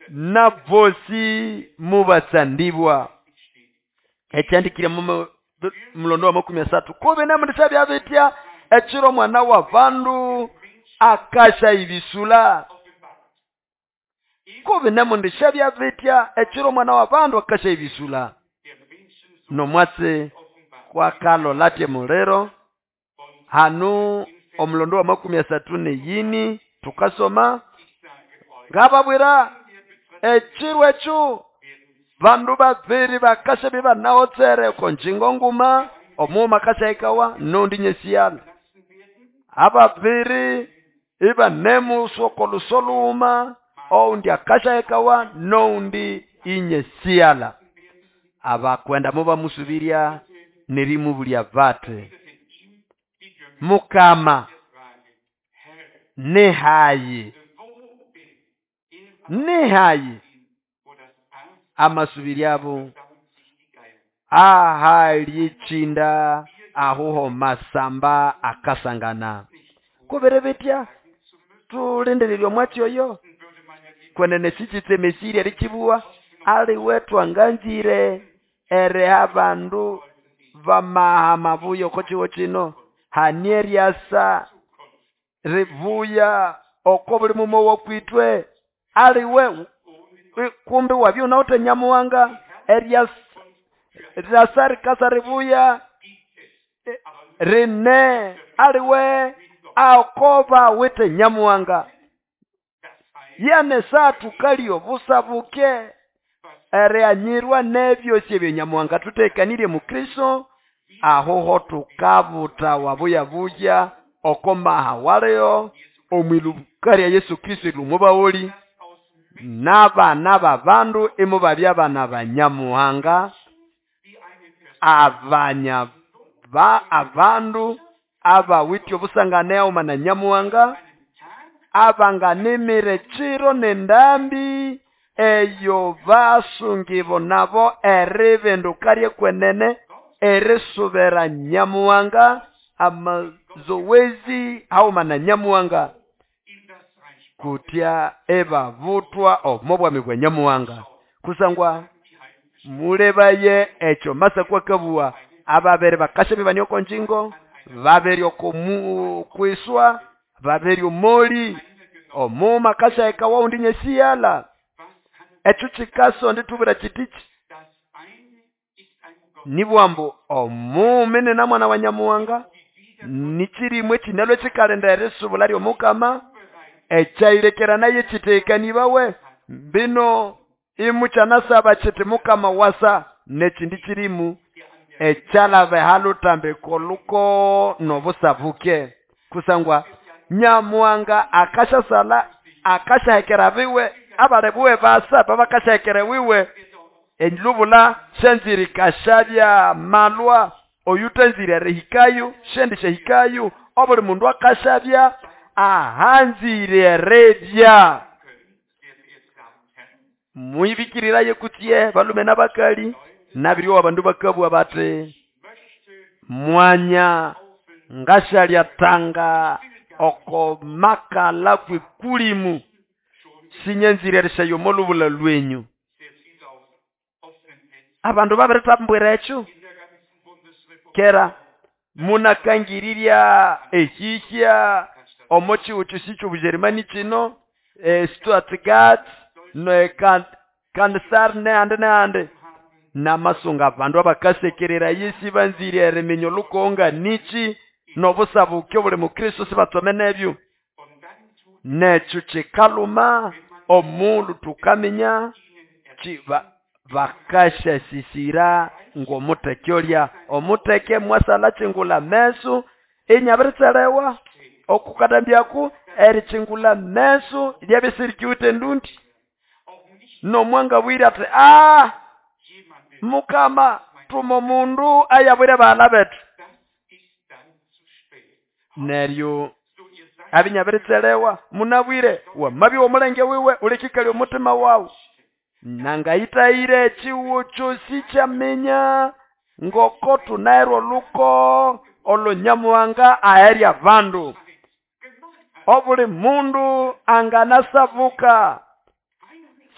n'abosi mubatsandibwa. Ekyandikire mu mulondo wa 30 kubi n'emindisya byabitya ekiro omwana w'abandu akasya ibisula. Kubi n'emindisya byabitya ekiro omwana w'abandu akasya ibisula. N'omwatsi kwakalola atya muliro hanu omulondo wa 34 tukasoma ngababwira ekiro ekyo bandu babiri bakasya bibanahotsere oko ngingo nguma, omughuma akasyahikawa n'ondi nyesiyala. Ababiri ibanemuswa oko luso lughuma, owundi akasyahikawa n'owundi inyesiyala. Abakwenda mubamusubirya nerimubulya bati, Mukama, nihayi? Nihayi? Amasubiryabo, ahali ekinda ahuho masamba akasangana. Kubiri bitya tulindirirye omwatsi oyo kwenene sikyitsemesirye erikibuwa, aliwe twanganzire eriha abandu bamaha mabuya oko kiho kino, hani eryasa ribuya oko buli mumo wokwitwe, aliwe kumbi wabya unawithe Nyamuhanga, eryasa rikasa ribuya rine aliwe akoba withe Nyamuhanga. Yane saa tukalya obusa buke erighanyirwa n'ebyosi ebyo Nyamuhanga tutekanirye mu Kristo, ahuho tukabuta wabuya buya oko maha waliyo omwiluka lya Yesu Kristo ilumubawoli n'abana b'abandu imubabya abana ba Nyamuhanga, abanya ba abandu abawithe obusangane haghuma na Nyamuhanga, abanganimira ekiro n'endambi eyo basungibo nabo eribinduka ly'ekwenene erisubira Nyamuhanga. zowezi hauma na Nyamuhanga kutya ebabutwa omo bwami bwa Nyamuhanga. Kusangwa mulebaye ekyo Masako akabugha, ababere bakasha bibani oko njingo, babere oko kwiswa, babere omoli, omuma akashaheka wawundi nyesiyala. Ekyo kikasonda itubwira kitiki nibwambu omuumi nina mwana wa Nyamuhanga, nikirimwe kinalwe kikalinda erisubula ly'Omukama, ekyayirekera naye kitekanibawe bino imukyanasaba kiti Mukama wasa, n'ekindi kirimu ekyalaba ehalutambiko luko n'obusabuke. Kusangwa Nyamuhanga akashasala akashahekera biwe abali buwe basa babakashahekera wiwe elubula shanziri kashabya malwa oyutanzire erihikayo shendi shehikayo obuli mundu akashabya ahanzire erebya. Muibikiriraye kutye balume n'abakali nabiryo abandu bakabwa bati mwanya ngashalya tanga oko makala kwikulimu sinyanzire erishayo molubula lwenyu. Abandu babiritambwira ekyo kera munakangirirya ehihya omo chihuchu sicho Bujerumani chino Stuttgart ne Kansar nehandi nehandi namasunga abandu abakasekerera yesi banzire eriminya olukonga nichi n'obusabuke obuli mu Kristo sibatsome nebyo. Nekyo kikaluma omundu tukaminya bakashasisira ng'omuteke olya omuteke mwasala chingula meso inyabiritserewa okukatambyaku erichingula meso lyabisirikiwite endundi nomwanga bwire ati Mukama tuma omundu ayabwire baala betu neryo abinyabiritserewa munabwire wamabi womulenge wiwe ulikikali omutima wawu nangayitayire ekiwo kyosi kyaminya ngoko tunaerwa oluko olonyamuhanga aherya abandu. Obuli mundu anganasabuka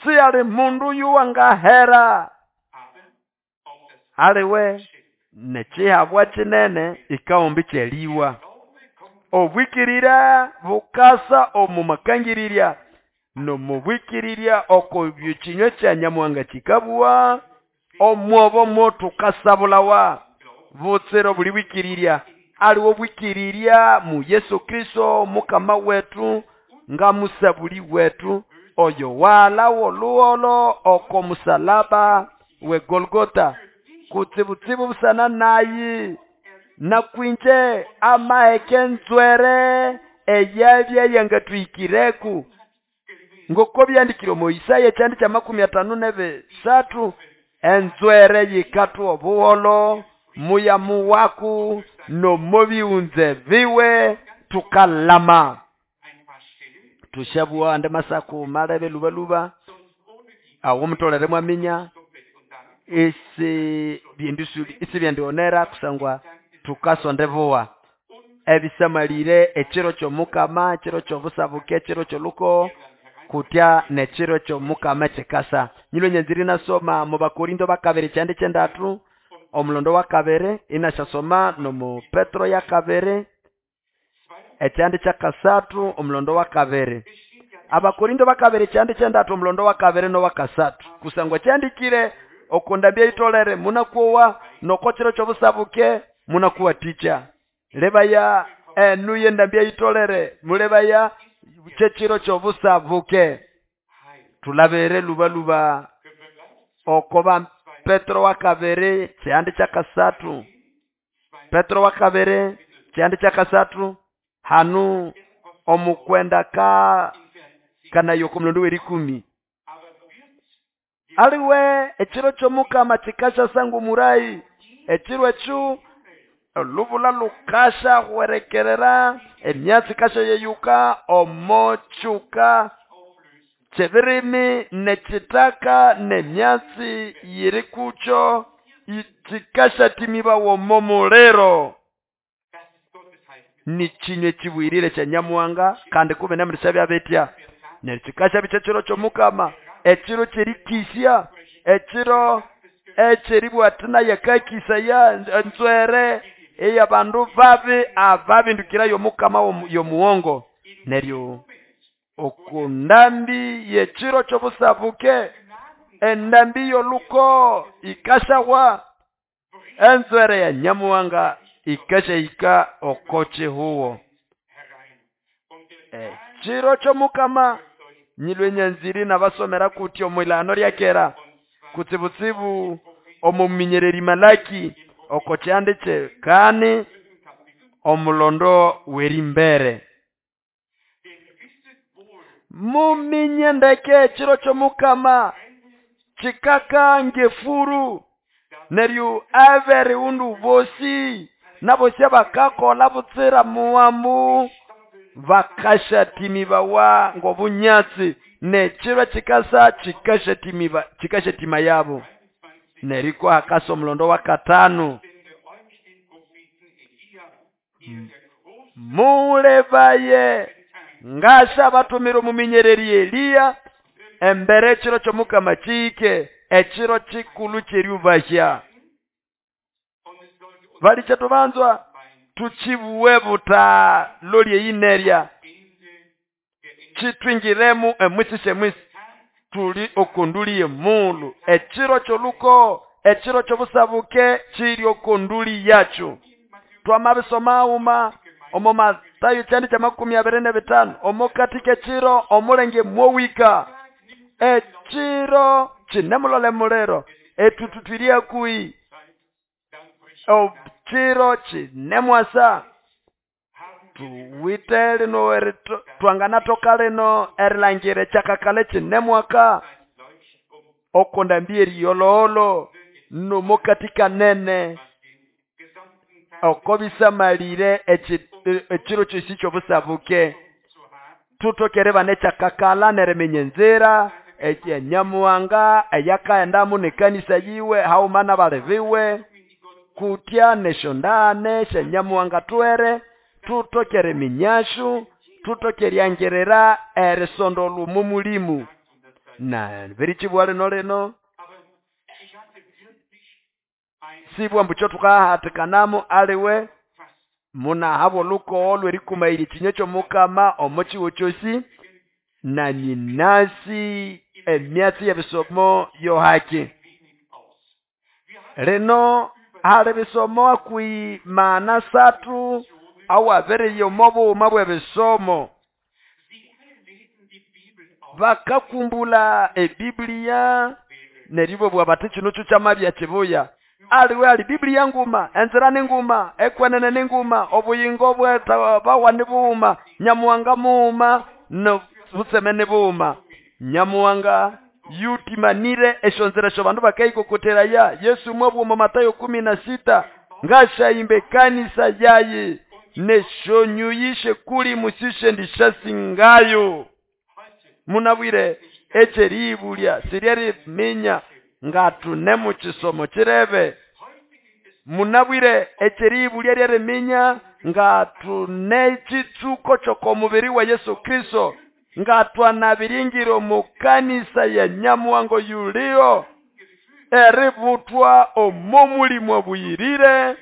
siyali mundu yuwangahera aliwe nekihabwa kinene ikaombi kyeliwa. Obwikirira bukasa omu makangirirya nomubwikirirya oko byekinywa kya Nyamuhanga kikabugha omwobo mwo tukasabulawa butsira obuli bwikirirya aliwo bwikirirya mu Yesu Kristo Mukama wetu nga musabuli wetu oyo walawo oluholo oko musalaba we Golgota kutsibutsibu busana nayi nakwinje amaheke nzwere eyabya yangatwikireku ngoko byandikire omu Isaya ekyandi kya 53 enzwere yikatwa obuholo muyamu waku nomobiunze biwe tukalama. Tushabua ande masaku malebe lubaluba awo mutolere mwaminya isi byendusuli isi byendionera kusangwa tukasonde boa ebisamalire ekiro ky'Omukama ekiro ky'obusabuke ekiro ky'oluko kutya nekiro ky'Omukama kikasa. Nyilo nyanziri nasoma mu Bakorinto bakabiri kyandi kyendatu omulondo wa kabiri inashasoma nomu Petro ya kabiri ekyandi kyakasatu omulondo wa kabiri. Abakorinto bakabiri kyandi kyendatu omulondo wa kabiri nowakasatu kusangwa kyandikire okundambya itolere munakuwa nokokiro ky'obusabuke munakuwa ticha lebaya enu yendambya itolere mulebaya kyekiro ky'obusabuke. Tulabere lubaluba okoba Petro wa kabiri kyandi kyakasatu Petro wa kabiri kyandi kyakasatu hanu omukwenda ka kanayo omulondo w'erikumi aliwe ekiro ky'Omukama kikasha sangu murayi ekiro ekyo olubula lukasha hwerekerera emyatsi kasha yeyuka omochuka kyebirimi nekitaka nemyatsi yiri kucho ikikasha timiba womomulero. Ni chinywa ekibwirire kya Nyamuhanga kandi kubine mulishabya bitya. Neryo kikashabya kyekiro ky'omukama, ekiro ky'erikisya, ekiro ekyeribwa ati naye akakisaya enzwere ey'abandu babi ababindukirayo omukama y'omuwongo. Neryo okundambi y'ekiro ky'obusabuke, endambi y'oluko ikashawa, enzwere ya Nyamuhanga ikashahika oko kihuwo. Ekiro ky'omukama nyilwe nyanziri nabasomera kuti omwilano lya kera kutsibutsibu omuminyereri Malaki oko kyandi kyekani omulondo w'erimbere. Muminye ndeke ekiro ky'omukama kikaka ng'efuru, neryo aberiundu bosi nabosi abakakola butsira muwambu bakashatimibawa ng'obunyatsi, n'ekiro kikasa kikashatimiba kikashatima yabo. Neriko hakasa omulondo wa katano. Mulebaye ngasha batumira omuminyereri Eliya embere ekiro ky'omukama kihike, ekiro kikulu ky'eryubahya. Balikye tubanzwa tukibuwe buta loli eyinerya kitwingiremu emwisi syemwisi tuli okonduli y'emulu. Ekiro ky'oluko, ekiro ky'obusabuke kiri okonduli yakyo. Twamabisoma uma omo Matayo kyandi kya 25 omo katika ekiro omulenge mwowika, ekiro kinemulole muliro etututwiri akuhi, ekiro kinemwasa tuwite lino twanganatoka lino erilangira ekyakakala kinemwaka okondambi eriyololo nomo katika nene oko bisamalire ekiro kyosi ky'obusabuke. Tutokere bana ekyakakala neriminya enzira ekyanyamuhanga eyakaendamu n'ekanisa yiwe hauma n'abali biwe kutya neshondane syanyamuhanga tuhere tutokere eminyashu tutokere eryangirira erisondolwa omo mulimu. Na birikibwa lino lino sibwa mbu kyo tukahatikanamu aliwe munahabwa olukowo lw'erikumaira ekinywa ky'omukama omo kiwo kyosi na nyinasi emyatsi y'ebisomo yohaki. Lino hali bisomo akwi mana satu awabiriya omo bughuma bw'ebisomo. Bakakumbula ebibiliya neryo ibabugha bati kino kyo kyamabya kibuya. Aliwe ali Biblia nguma, enzira ni nguma, ekwenene ni nguma, obuyingo bwetabawa ni bughuma, Nyamuhanga mughuma, nobutseme ni bughuma. Nyamuhanga yutimanire esyo nzira esyo bandu bakayikokoteraya. Yesu mwabugha omo Matayo 16 ngashayimba ekanisa yayi neshonyuyishe kuli musishendishasingayo. Munabwire ekyeribulya siryeriminya ngatune mu kisomo kirebe. Munabwire ekyeribulya ryeriminya ngatune kitsuko ky'okomubiri wa Yesu Kristo, ngatwanabiringiro omu kanisa ya Nyamuhango yuliyo eributwa omo mulimu obuyirire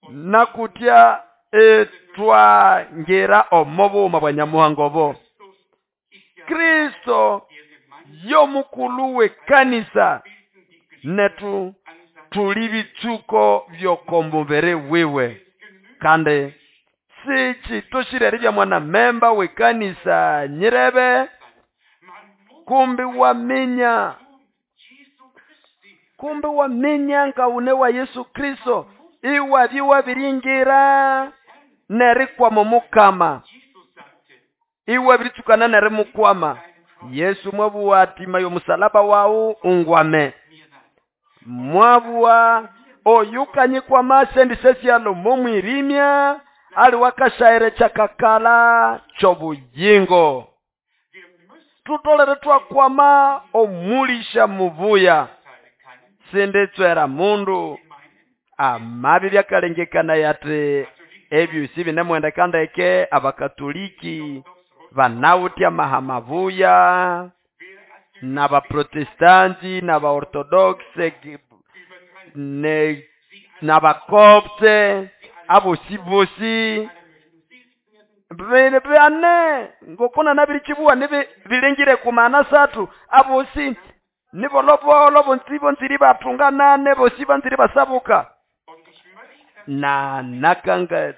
nakutya etwangira omo bughuma bwa Nyamuhango obo. Kristo y'omukulu w'ekanisa netu tuli bitsuko by'okomubiri wiwe. Kandi sikitoshire eribya mwana memba w'ekanisa nyirebe kumbi waminya, kumbi waminya ngaune wa Yesu Kristo iwabyi wabiringira nerikwama omukama, iwabiritsukana nerimukwama. Yesu mwabugha ati mayo omusalaba wawu ungwame. Mwabugha oyukanyikwama sendisesialo momwirimya ali wakashaire kyakakala ky'obuyingo. Tutolere twakwama omulisha mubuya sinditswera mundu amabi byakalengekana yati Ebyosi binemwendeka ndeke. Abakatoliki banawithe amaha mabuya, n'abaprotestanti n'abaorthodoxe n'abakopte, abosi bosi bane ngoko nanabirikibuwa bilengire ku mana asathu, abosi nibolobolo bonzi bonzire batunganane, bosi banzire basabuka. Na nakanga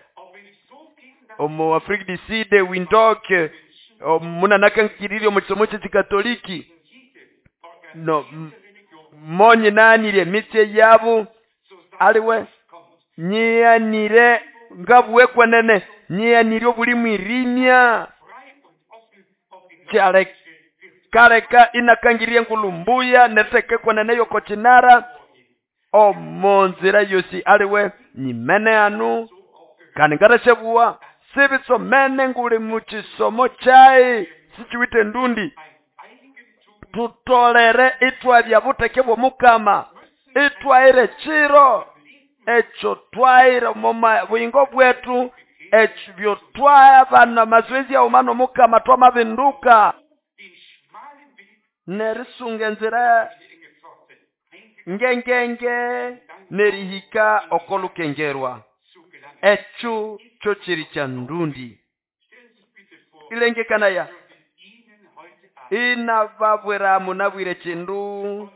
omu Afrique du Sud, Windhoek, munanakangirire omu kisomo ky'ekikatoliki no monyinanire emitse yabo aliwe nyianire ngabuwe kwenene, nyianire obuli mwirimya kyalekaleka inakangirya engulhu mbuya neritheka kwenene yoko kinara omonzira yosi aliwe nyimene hanu kandi ngathasyabugha sibitsomene nguli mukisomo kyayi sikiwithe endundi. Thutolere ithwabya butheke bw'omukama, ithwaira ekiro ekyo twaira omo buyingo bwethu, ebyo twabana amazoezi aghuma n'omukama twamabinduka nerisunga enzira ngengenge nerihika oko lukengerwa. Ekyo kyo kiri kya ndundi. Ilengekanaya inababwira munabwire kindu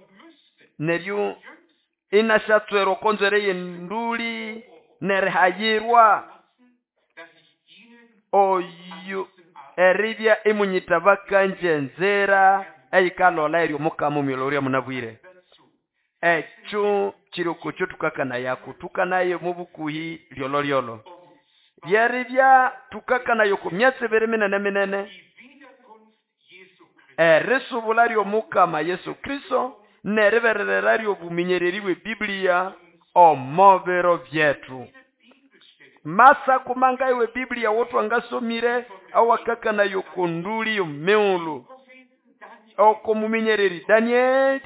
neryo inasyatswera oko nzwere y'enduli nerihayirwa oyo eribya imunyita bakanje enzira eyikalhola eryo omukama omwilolya munabwire. Ekyo kiri okukyo thukakanayaku, thukanaye omo bukuhi lyolholyolho. Lyeribya thukakanaya oko myatsi ibiri minene minene, erisubula ly'omukama Yesu Kristo neribererera ly'obuminyereri bwe Biblia omo biro byethu. Masa kumanga ewe Biblia wotwangasomire awakakanaya oko nduli y'omumighulhu, oko muminyereri Daniel,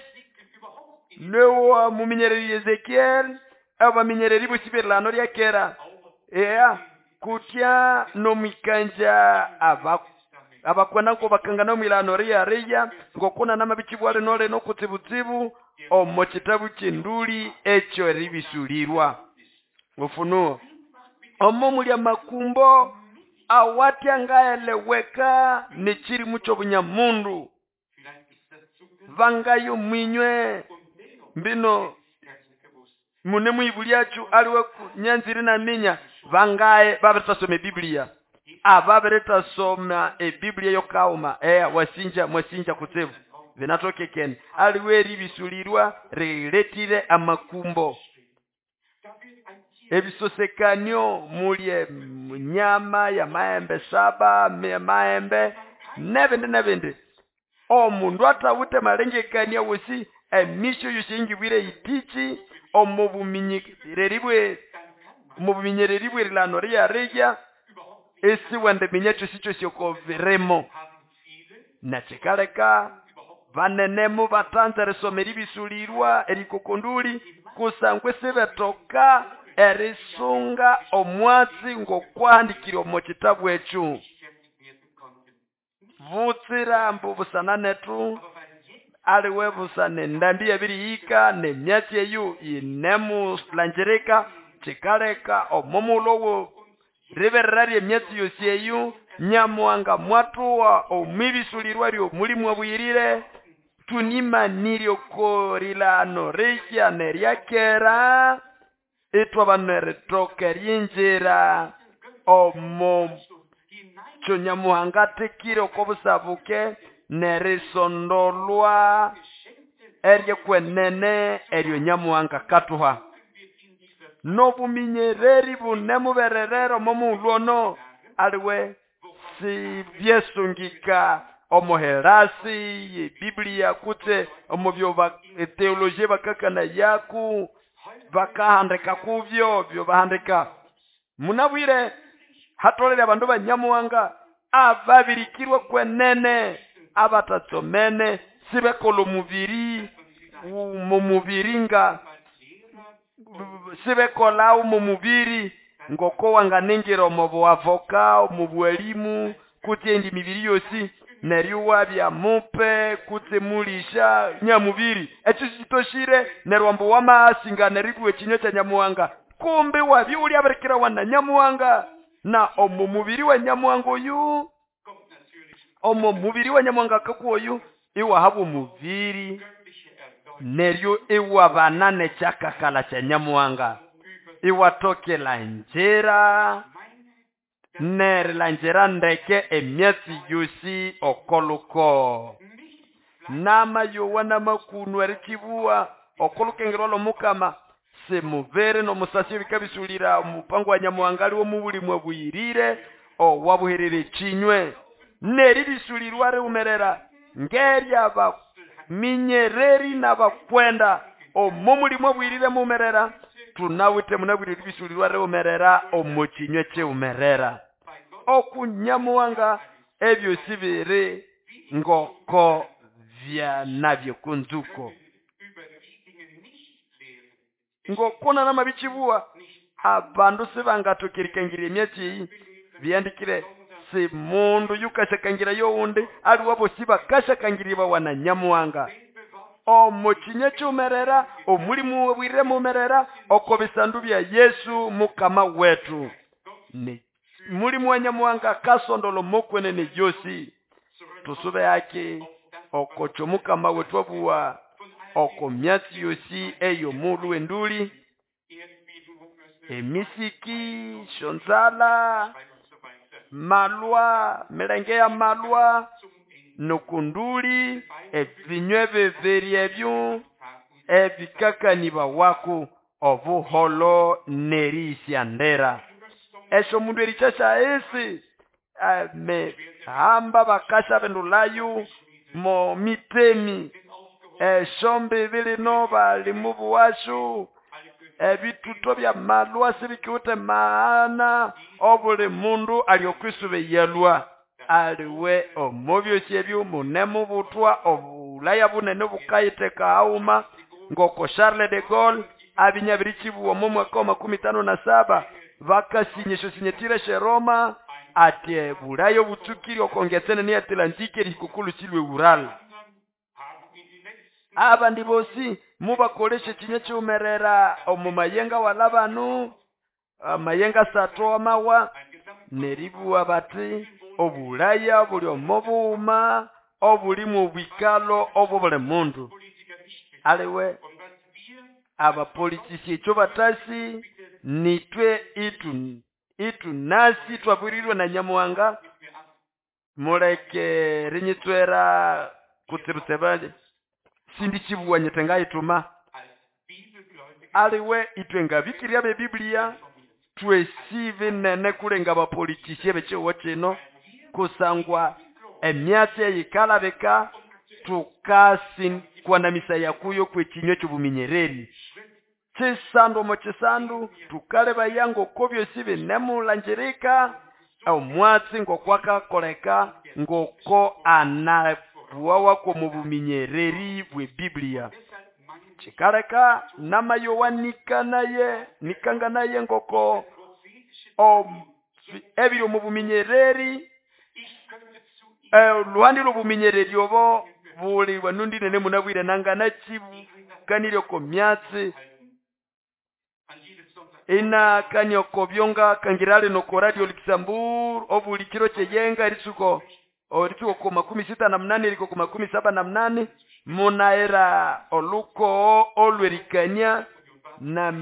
nowa muminyereri Ezekiel, abaminyereri bosi b'erilagano lya kera. Eya kutya nomwikanja abakwenda ngo bakangana omwilagano riya riya ngoko nanamabikibwa lino lino kutsibutsibu omo kitabu ky'enduli ekyo eribisulirwa. Ufunuo omo muli amakumbo awatya ngaeleweka nekirimu ky'obunyamundu vangayo mwinywe mbino mune mwibulyacu aliwe nyanziri naminya vangaye babiritasoma ebiblia, ababiritasoma ebiblia yokauma eya wasinja mwasinja kutsibu binatokekene aliwe eribisulirwa riletire amakumbo ebisosekanio mulye nyama ya maembe saba maembe nebindi nebindi. Omundu athawithe malengekania wosi emisyo yosi eyingibwire yitichi omo buminyereri bwe omo buminyereri bw'erilano riya riya esiwendiminya kyosi kyosi oko birimo. Nekikaleka banenemu batanza erisoma eribisulirwa erikokonduli kusangwa isibetoka erisunga omwatsi ng'okwahandikire omo kitabu ekyo. Butsira ambu busana nethu aliwe busana endambi yabirihika n'emyatsi eyo yinemulangirika kikaleka omo mughulhu owo riberera ly'emyatsi yosi eyo Nyamuhanga mwathuha omwibisulirwa ly'omulimu abuyirire tunimanire oko rilano rihya n'eryakera ithwabana erithoka eryingira omo kyo Nyamuhanga athekire oko busabuke nerisondolwa eryekwenene eryo Nyamuhanga akathuha. N'obuminyereri bunemubererera omo mughulhu ono aliwe sibyesungika omo helasi y'ebiblia kutse omo byo teologia bakakanayaku bakahandika kubyo byo bahandika. Munabwire hatolere abandu ba Nyamuhanga ababirikirwe kwenene abatatsomene sibekola omubiri mu mubiri nga sibekolawo mu mubiri Ngoko wanganingira omo buavoka, omo bwalimu, kutse indi mibiri yosi, neryo wabya mupe kutse mulisha nyamubiri, ekyo sikitoshire. Neryo ambu wamasinga neribwa ekinywa kya Nyamuhanga, kumbi wabya ulyabirikirawa na Nyamuhanga. Na omo mubiri wa Nyamuhanga oyu, omo mubiri wa Nyamuhanga akakuwa oyu, iwahabwa omubiri, neryo iwabana nekyakakala kya Nyamuhanga, iwatokela njira nerilangira ndeke emyatsi yosi okoluko. Namayowa namakunu erikibuwa okolukengerwa lw'omukama, simubiri n'omusasi ebikabisulira omupango wa Nyamuhanga aliwo mubulimu abuyirire owabuherera ekinywe, neribisulirwa riwumerera ngeryabaminyereri n'abakwenda omo mulimu abuyirire muwumerera. Tunawite munabwire eribisulirwa riwumerera omo kinywe kiwumerera. Okunyamuhanga ebyosi biri ngoko byanabye kunzuko. Ngoko namabikibuwa abandu sibangatokerikangira emyatsi eyi, byandikire si mundu yukashakangira yowundi, aliwe bosi bakashakangiribawa na Nyamuhanga. Omo kinywa kiwumerera, omulimu wabwirire muwumerera, oko bisandu bya Yesu mukama wetu. Ni mulimu wa Nyamuhanga kasondola mokwenene yosi. Tusube haki okocho mukama wetu abuwa oko myatsi yosi eyo mulu wenduli, emisiki, shonzala, malwa, milenge ya malwa, nokunduli, ebinywe bibiri ebyo ebikakaniba wako obuholo neriisyandera. Esyo mundu erikyasya esi, mehamba bakasya bendulayo mo mitemi, esyo mbibi lino bali mu buwashu, ebituto bya malwa sibikiwite maana, obuli mundu ali okwisuba eyalwa. Aliwe omo byosi ebyo mune mubutwa obulaya bunene bukayiteka hauma, ngoko Charles de Gaulle abinyabirikibuwa omo mwaka wa makumi tano na saba, bakasinya esyo sinyetire she Roma, ati bulaya obutsukiri okongetsene ni Atlantike erihika silwe Ural. Abandi bosi mubakolesha ekinywa kiwumerera omu mayenga wala banu, amayenga satu amawa, neribuwa bati obulaya buli omo bughuma obulimu obwikalo obwo buli mundu. Aliwe abapolitisi ekyo batasi nitwe itunasi twabwirirwe na Nyamuhanga, muleke rinyitswera kutsibutsebale sindi kibuwa nyete ngayituma. Aliwe itwe ngabikirya be Biblia twesibe nene kulenga abapolitisi bekiwo kino, kusangwa emyatsi eyikalabika tukasi kwanamisa yakuyo kwekinywa ky'obuminyereri. Kisandu omo kisandu tukaleba yango ko byosi binemulangirika omwatsi ngokwakakoleka ngoko anabuwawako mu buminyereri bwe Biblia. Kikaleka namayowa nikanaye nikanganaye ngoko ebiri omu buminyereri, oluhandi lw'obuminyereri obo buli wanundi nene munabwire nangana kibukanire oko myatsi inakania oko byonga kangirali noko Radio Luxembourg obuli kiro kyeyenga eritsuko oritsuko ko 68 eriko ko 78 munaera oluko olwerikania na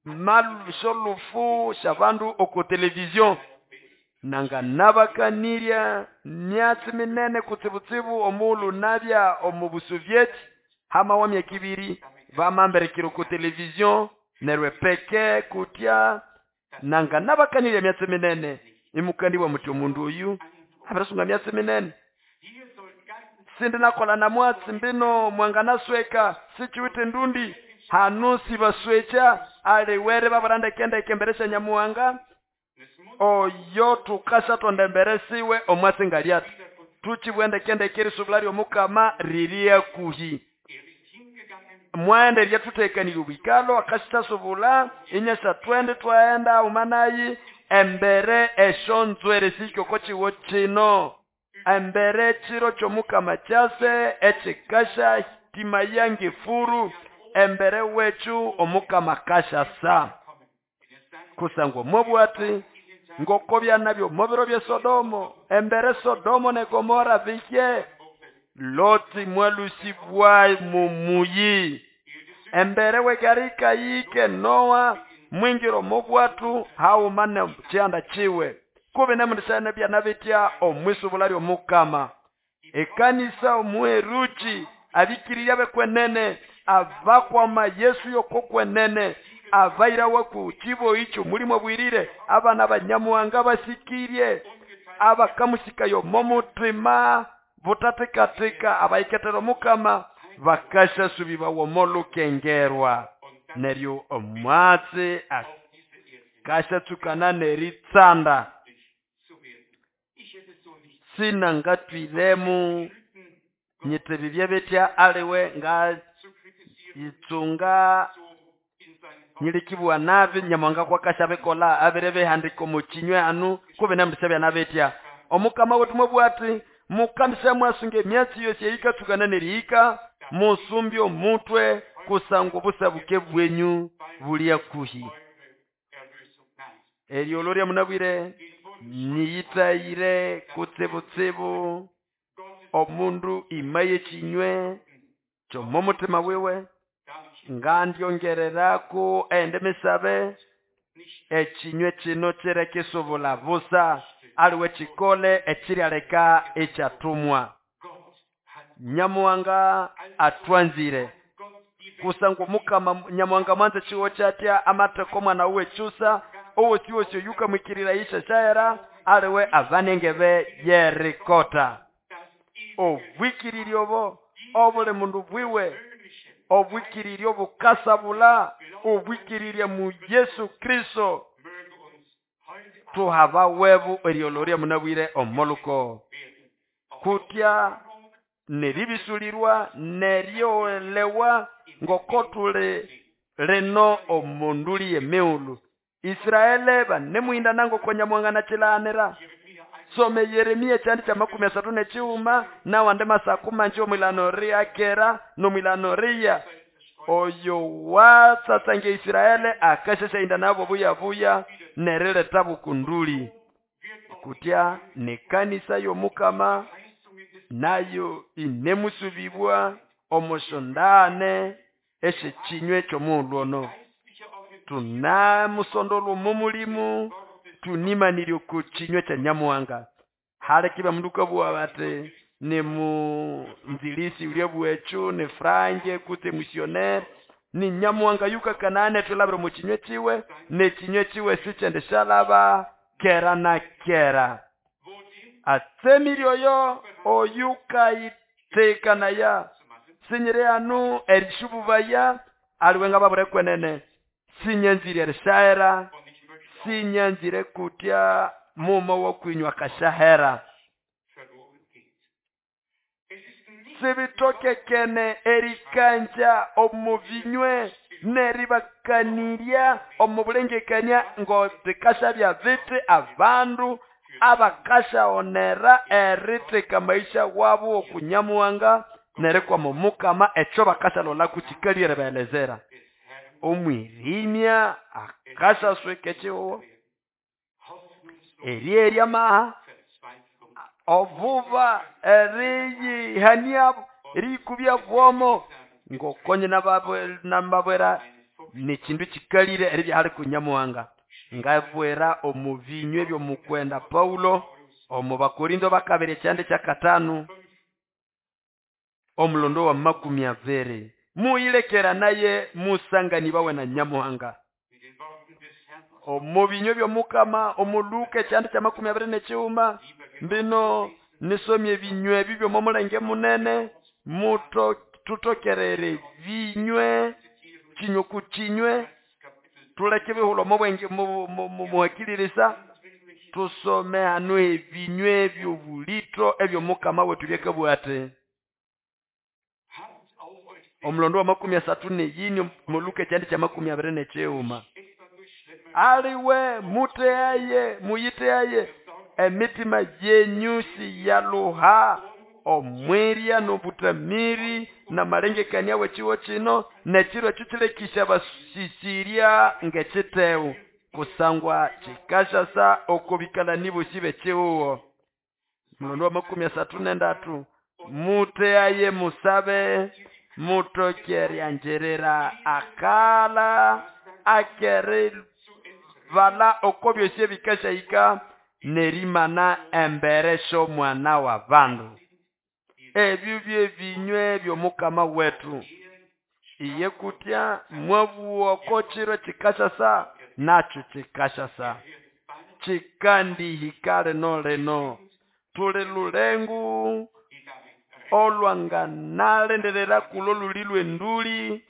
malusholufu shabandu oko television nanga nabakanirya myatsi minene kutsibutsibu omulu nabya omu Busovieti hama wa myaka ibiri bamamberekera oko television nerwe peke kutya nanga nabakanirya myatsi minene imukandiwa muti omundu oyu abirasunga myatsi minene sindi nakola na mwatsi mbino mwanganasweka sichiwite ndundi hanu sibaswecha aliwere babarandekendeke mbere sya Nyamuhanga oyo tukasha tondemberesiwe omwatsi ngalyati tuchibwendekendeke erisubula ly'omukama riri hakuhi. Mwaenda eryathuthekanirya obwikalo akasyasyasubula inyasyathwende twaghenda umanayi embere esyonzwere sihike oko kiwo kino embere ekiro ky'omukama kyase ekikasya timaya ng'efuru embere wekyu omukama akasyasa kusangwa mwabugha ati ngoko byanabya omo biro bya Sodomo embere Sodomo ne Gomora bihye Loti mwalusibwa mumuyi embere w'egarika yike Noa mwingira omo bwatu hauma ne kyanda kiwe kubi nemundisha byanabitya omwisubula ly'omukama ekanisa omuheruki abikiriria bekwenene abakwama Yesu yokokwenene abairawa ku kiboyi ky'omulimu obwirire abana banyamuhanga basikirye abakamusikayo omo mutima butathikathika abayikethera omukama bakasyasubibawa omo lukengerwa neryo omwatsi akasyatsukana neritsanda sinangatwiremu nyiti bibye bitya aliwe nga yitsunga nyilikibugha nabi nyamuhanga kwakasyabikolha abiri bihandika omo kinywe hanu kubi nemundisya byanabitya omukama wetu mwabugha ati mukandisya mwasunga emyatsi yosi eyikatsukana nerihika musumbye omutwe kusangwa obusabuke bwenyu buli hakuhi eryolho lyamunabwire niyithayire kutsibutsibu omundu imaye ekinywe ky'omo mutima wiwe ngandyongererako endi misabe ekinywe kino kirekisubula busa aliwe kikole ekiryaleka ekyathumwa nyamuhanga atwanzire kusangwa omukama nyamuhanga mwanza ekiwo kyatya amatheka omwana wuwe kyusa owosiwosi oyukamwikirira yisyasyahera aliwe abanengebe yerikota obwikirirya obo obuli mundu bwiwe obwikirirya obukasabula obwikirirya mu Yesu Kristo tuhaba webu eryolho lyamunabwire omoluko kutya neribisulirwa neryolewa ngoko tuli lino omunduli y'emighulhu Israele banemuhindana ngoko nyamuhanga nakilaganira some Yeremia ekyandi kya 34 nawandi masaku manji omwilano ryakera nomwilano riya oyo watsatsange Israele akasyasyahinda nabo buyabuya nerileta bukunduli kutya nekanisa y'omukama nayo inemusubibwa omusyondane esyekinywe ky'omughulhu ono tunamusondolwa omo mulimu tunimanirye oku kinywe kya nyamuhanga halekibya mundu ukabugha bati ni munzilisi ulya ekyu ni Franke kutse missionnaire ni nyamuhanga yukakanane thulabira omu kinywe kiwe n'ekinywe kiwe sikyendisyalaba kera na kera atsemire oyo oyukayitekanaya sinyiri hanu erishububaya aliwe ngababure kwenene sinyanzire erishahera sinyanzire kutya mumo wokwinywa kashahera sibitokekene erikanja omu binywe neribakanirya omu bulengekania ngo bikashabya biti abandu abakashaonera eritheka maisha wabo okunyamuhanga nerikwama omukama ekyo bakashalolaku kikali eribaelezera omwirimya akashasweka ekihuho eryerya amaha obuba eriyihania eriyikubya bwomo ngokonye nababwera nekindu kikalire eribya hali kunyamuhanga ngabwera omu binywe by'omukwenda Paulo omu Bakorinto bakabiri ekyandi kyakatano omulondo wa 20 muyilekera naye musanganibawe na nyamuhanga omu binywe by'omukama omu Luka ekyandi kya 29 mbino nisomye ebinywe ebi by'omulenge munene muto tutokerere binywe kinywe ku kinywe tuleke ebihulho omubwenge muhakilirisa tusome hanu ebinywe eby'obulito eby'omukama wetu byakabugha ati Omulondo wa 34 moluka ekyandi kya 21. Aliwe muteaye muyiteaye emitima yenyu siyaluha omwirya n'obutamiri n'amalengekania w'ekiwo kino n'ekiro ekyo kilekisha basisirya ng'ekitewu kusangwa kikashasa okobikalani bosi b'ekiwuwo. Mulondo wa 33 muteaye musabe mutokeryanjirira akala akeri vala oko byosi ebikashahika nerimana embere sh'omwana wa bandu. Ebyo byebinywe by'omukama wetu. Iye kutya mwabuwa oko kiro kikashasa nakyo kikashasa kikandihika lino lino. Tuli lulengu olwanganalenderera kulo luli lw'enduli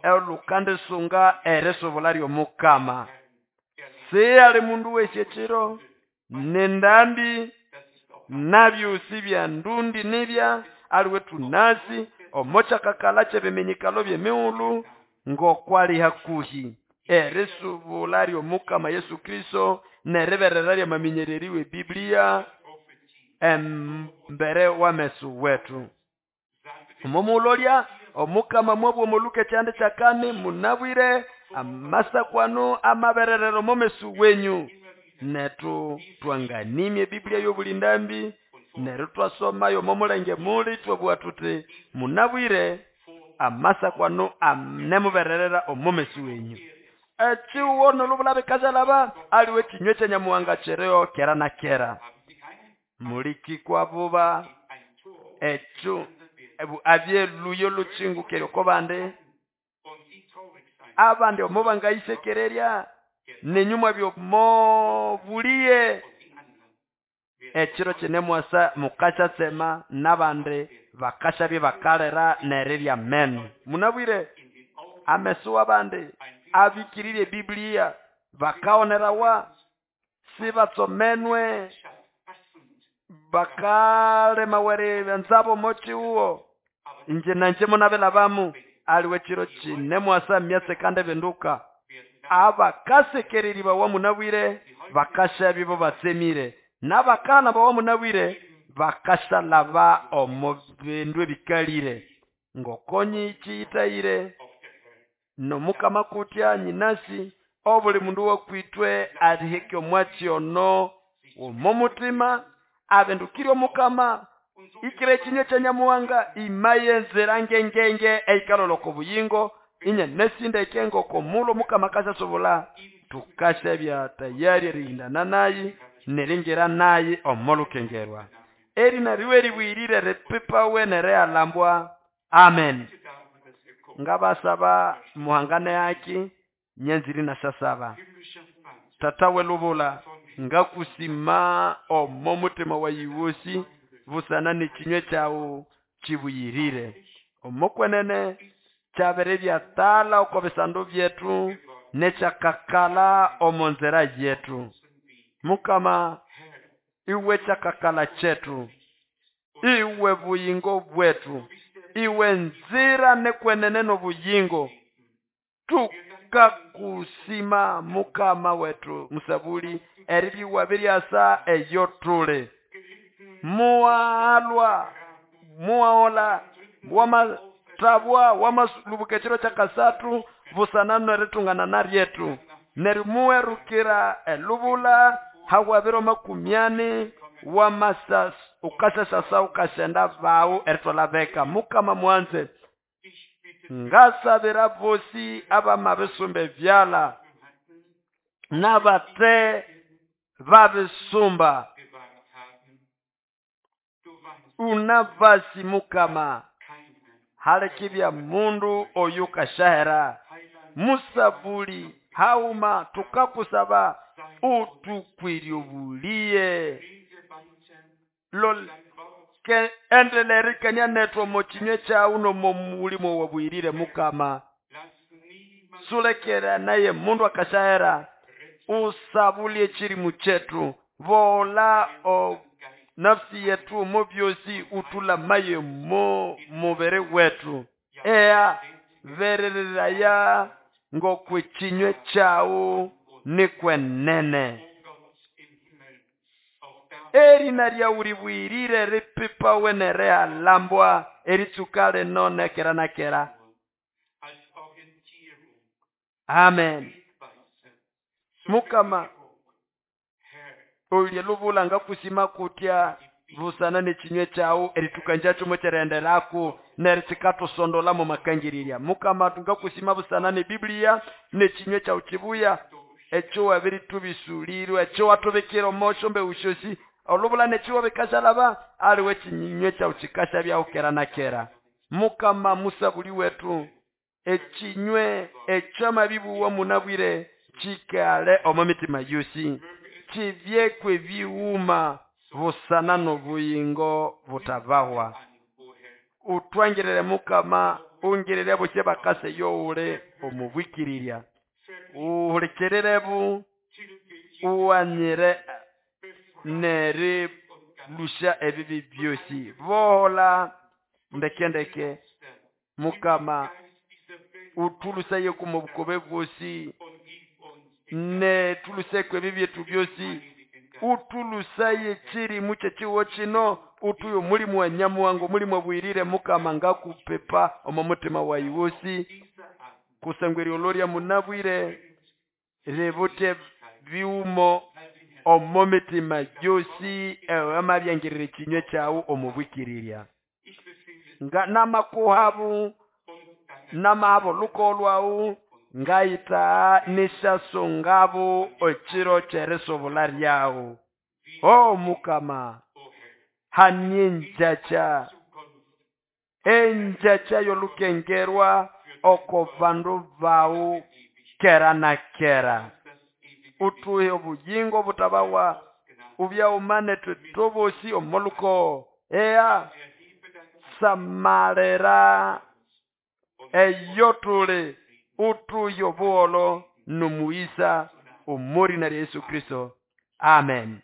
olukandisunga erisubula ly'omukama. Siyali mundu wesi ekiro nendambi nabyosi bya ndundi nibya aliwe tunasi omokyakakala ky'ebiminyikalo by'emighulhu ng'okwali hakuhi erisubula ly'omukama Yesu Kristo n'eriberera ly'amaminyereri w'ebiblia embere w'ameso wetu. Omomulolya omukama mwabwa omoluka ekyandi kyakani munabwire amasakwanu amabererero omomeso wenyu. Netu twanganimye Biblia y'obulindambi neryo twasomayo omomulenge muli twabugha tuti munabwire amasakwanu anemubererera omomeso wenyu. Ekiwo nolubula bikashalaba aliwe kinywe kyanyamuhanga kiriho kera na kera. Mulikikwa buba ekyo abyeluyo lukingu oko bandi abandi omo bangayisekererya nenyuma byomobuliye ekiro kinemwasa mukashatsema n'abandi bakashabye bakalera nerirya meno. Munabwire ameso w'abandi abikirire Biblia bakaonerawa sibatsomenwe bakalema were nzabo mochiuwo inje nanje munabelabamu aliwe kiro kinemwasa myatse kandi binduka abakasekereri bawa munabwire bakashabye bo batsemire n'abakana bawa munabwire bakashalaba omu bindu ebikalire ngokonyi kiyitayire nomukama kutya nyinasi obuli mundu wakwitwe aliheke omwatsi ono omomutima abendukire omukama ikire ekinywe kyanyamuhanga imayenzera ngengenge eikaloloko obuyingo inye nesindeke ngokomulo omukama kashasobola tukashabya tayari erihindana nayi neringira nayi omolukengerwa. Erina riwe ribwirire ripipawe nerealambwa. Amen. Ngabasaba muhangane haki nyenziri na sasaba. Tata welubula ngakusima omo mutima wa yiwosi busana n'ekinywe kyawu kibuyirire. Omokwenene kyabere byatala oko bisando byetu nekyakakala omo nzera yetu. Mukama iwe kyakakala kyetu, iwe buyingo bwetu, iwe nzira nekwenene n'obuyingo. Tukakusima mukama wetu musabuli eribiwa biryasa eyo tule. Muwalwa muwaola wamatabwa wamalubuka ekiro kyakasatu busana neritungana naryetu. Nerimuwerukira elubula hawabiro 40 wamasas ukasasasa ukashenda bawu eritwala beka. Mukama mwanze ngasabira bosi abamabisumba ebyala n'abate babisumba unavasi mukama halekibya mundu oyu kashahera musabuli hauma tukakusaba utukwiryobuliye lol ke endelerikania netwo mokinywe kyawu nomomulimo wabwirire mukama sulekera naye mundu akashahera usabulie chirimu chetu vola o nafsi yetu mo byosi utulamaye mo mubere wetu. Ea berereraya ng'okw'ekinywe kyawu nikwenene. Erina lyawu ribuyirire ripipawe n'erihalambwa eritsuka lino nekera na kera. Amen. Mukama olye lubula ngakusima kutya busana n'ekinywe kyawu eritukanjakyo mokyerighenderaku neryo kikatusondola mo makangirirya. Mukama ngakusima busana n'eBiblia n'ekinywe kyawu kibuya ekyo wabirithubisulirwa, ekyo watubikira omo syombewu syosi, olubula n'ekiwo bikashalaba, aliwe ekinywe kyawu kikashabyaho kera na kera. Mukama musabuli wetu, ekinywe ekyamabibuwa munabwire kikale omo mitima yosi, kibyekwe ebighuma busana n'obuyingo butabahwa. Utwangirire Mukama, ungirire abosi abakasa eyowuli omo bwikirirya. Uhulikirirebu, ughanyire n'erilusya ebibi byosi. Bohola ndeke ndeke Mukama, uthulusayeku omo bukobe bwosi, nethuluseko ebibi byethu byosi, uthulusaye ekirimu ky'ekihugho kino, uthuhe omulimu wa Nyamuhanga, omulimu abuyirire Mukama ngakupipa omo mutima wayi wosi, kusangwa eriolorya munabwire ributhe bighumo omo mitima yosi ewamabyangirira ekinywe kyawu omo bwikirirya. Nga namakuhabu, namahaba olukogo lwawu, ngayitagha n'esyasungabu ekiro ky'erisubula lyawu. Oh Mukama, hania engyakya, engyakya y'olukengerwa oko bandu bawu kera na kera. Uthuhe obuyingo butabawa, ubyaghuma nethu ithwebosi omo lukogo. Ea samalira eyo tuli, uthuhe obuholho n'omughisa omo rina lya Yesu Kristo. Amen.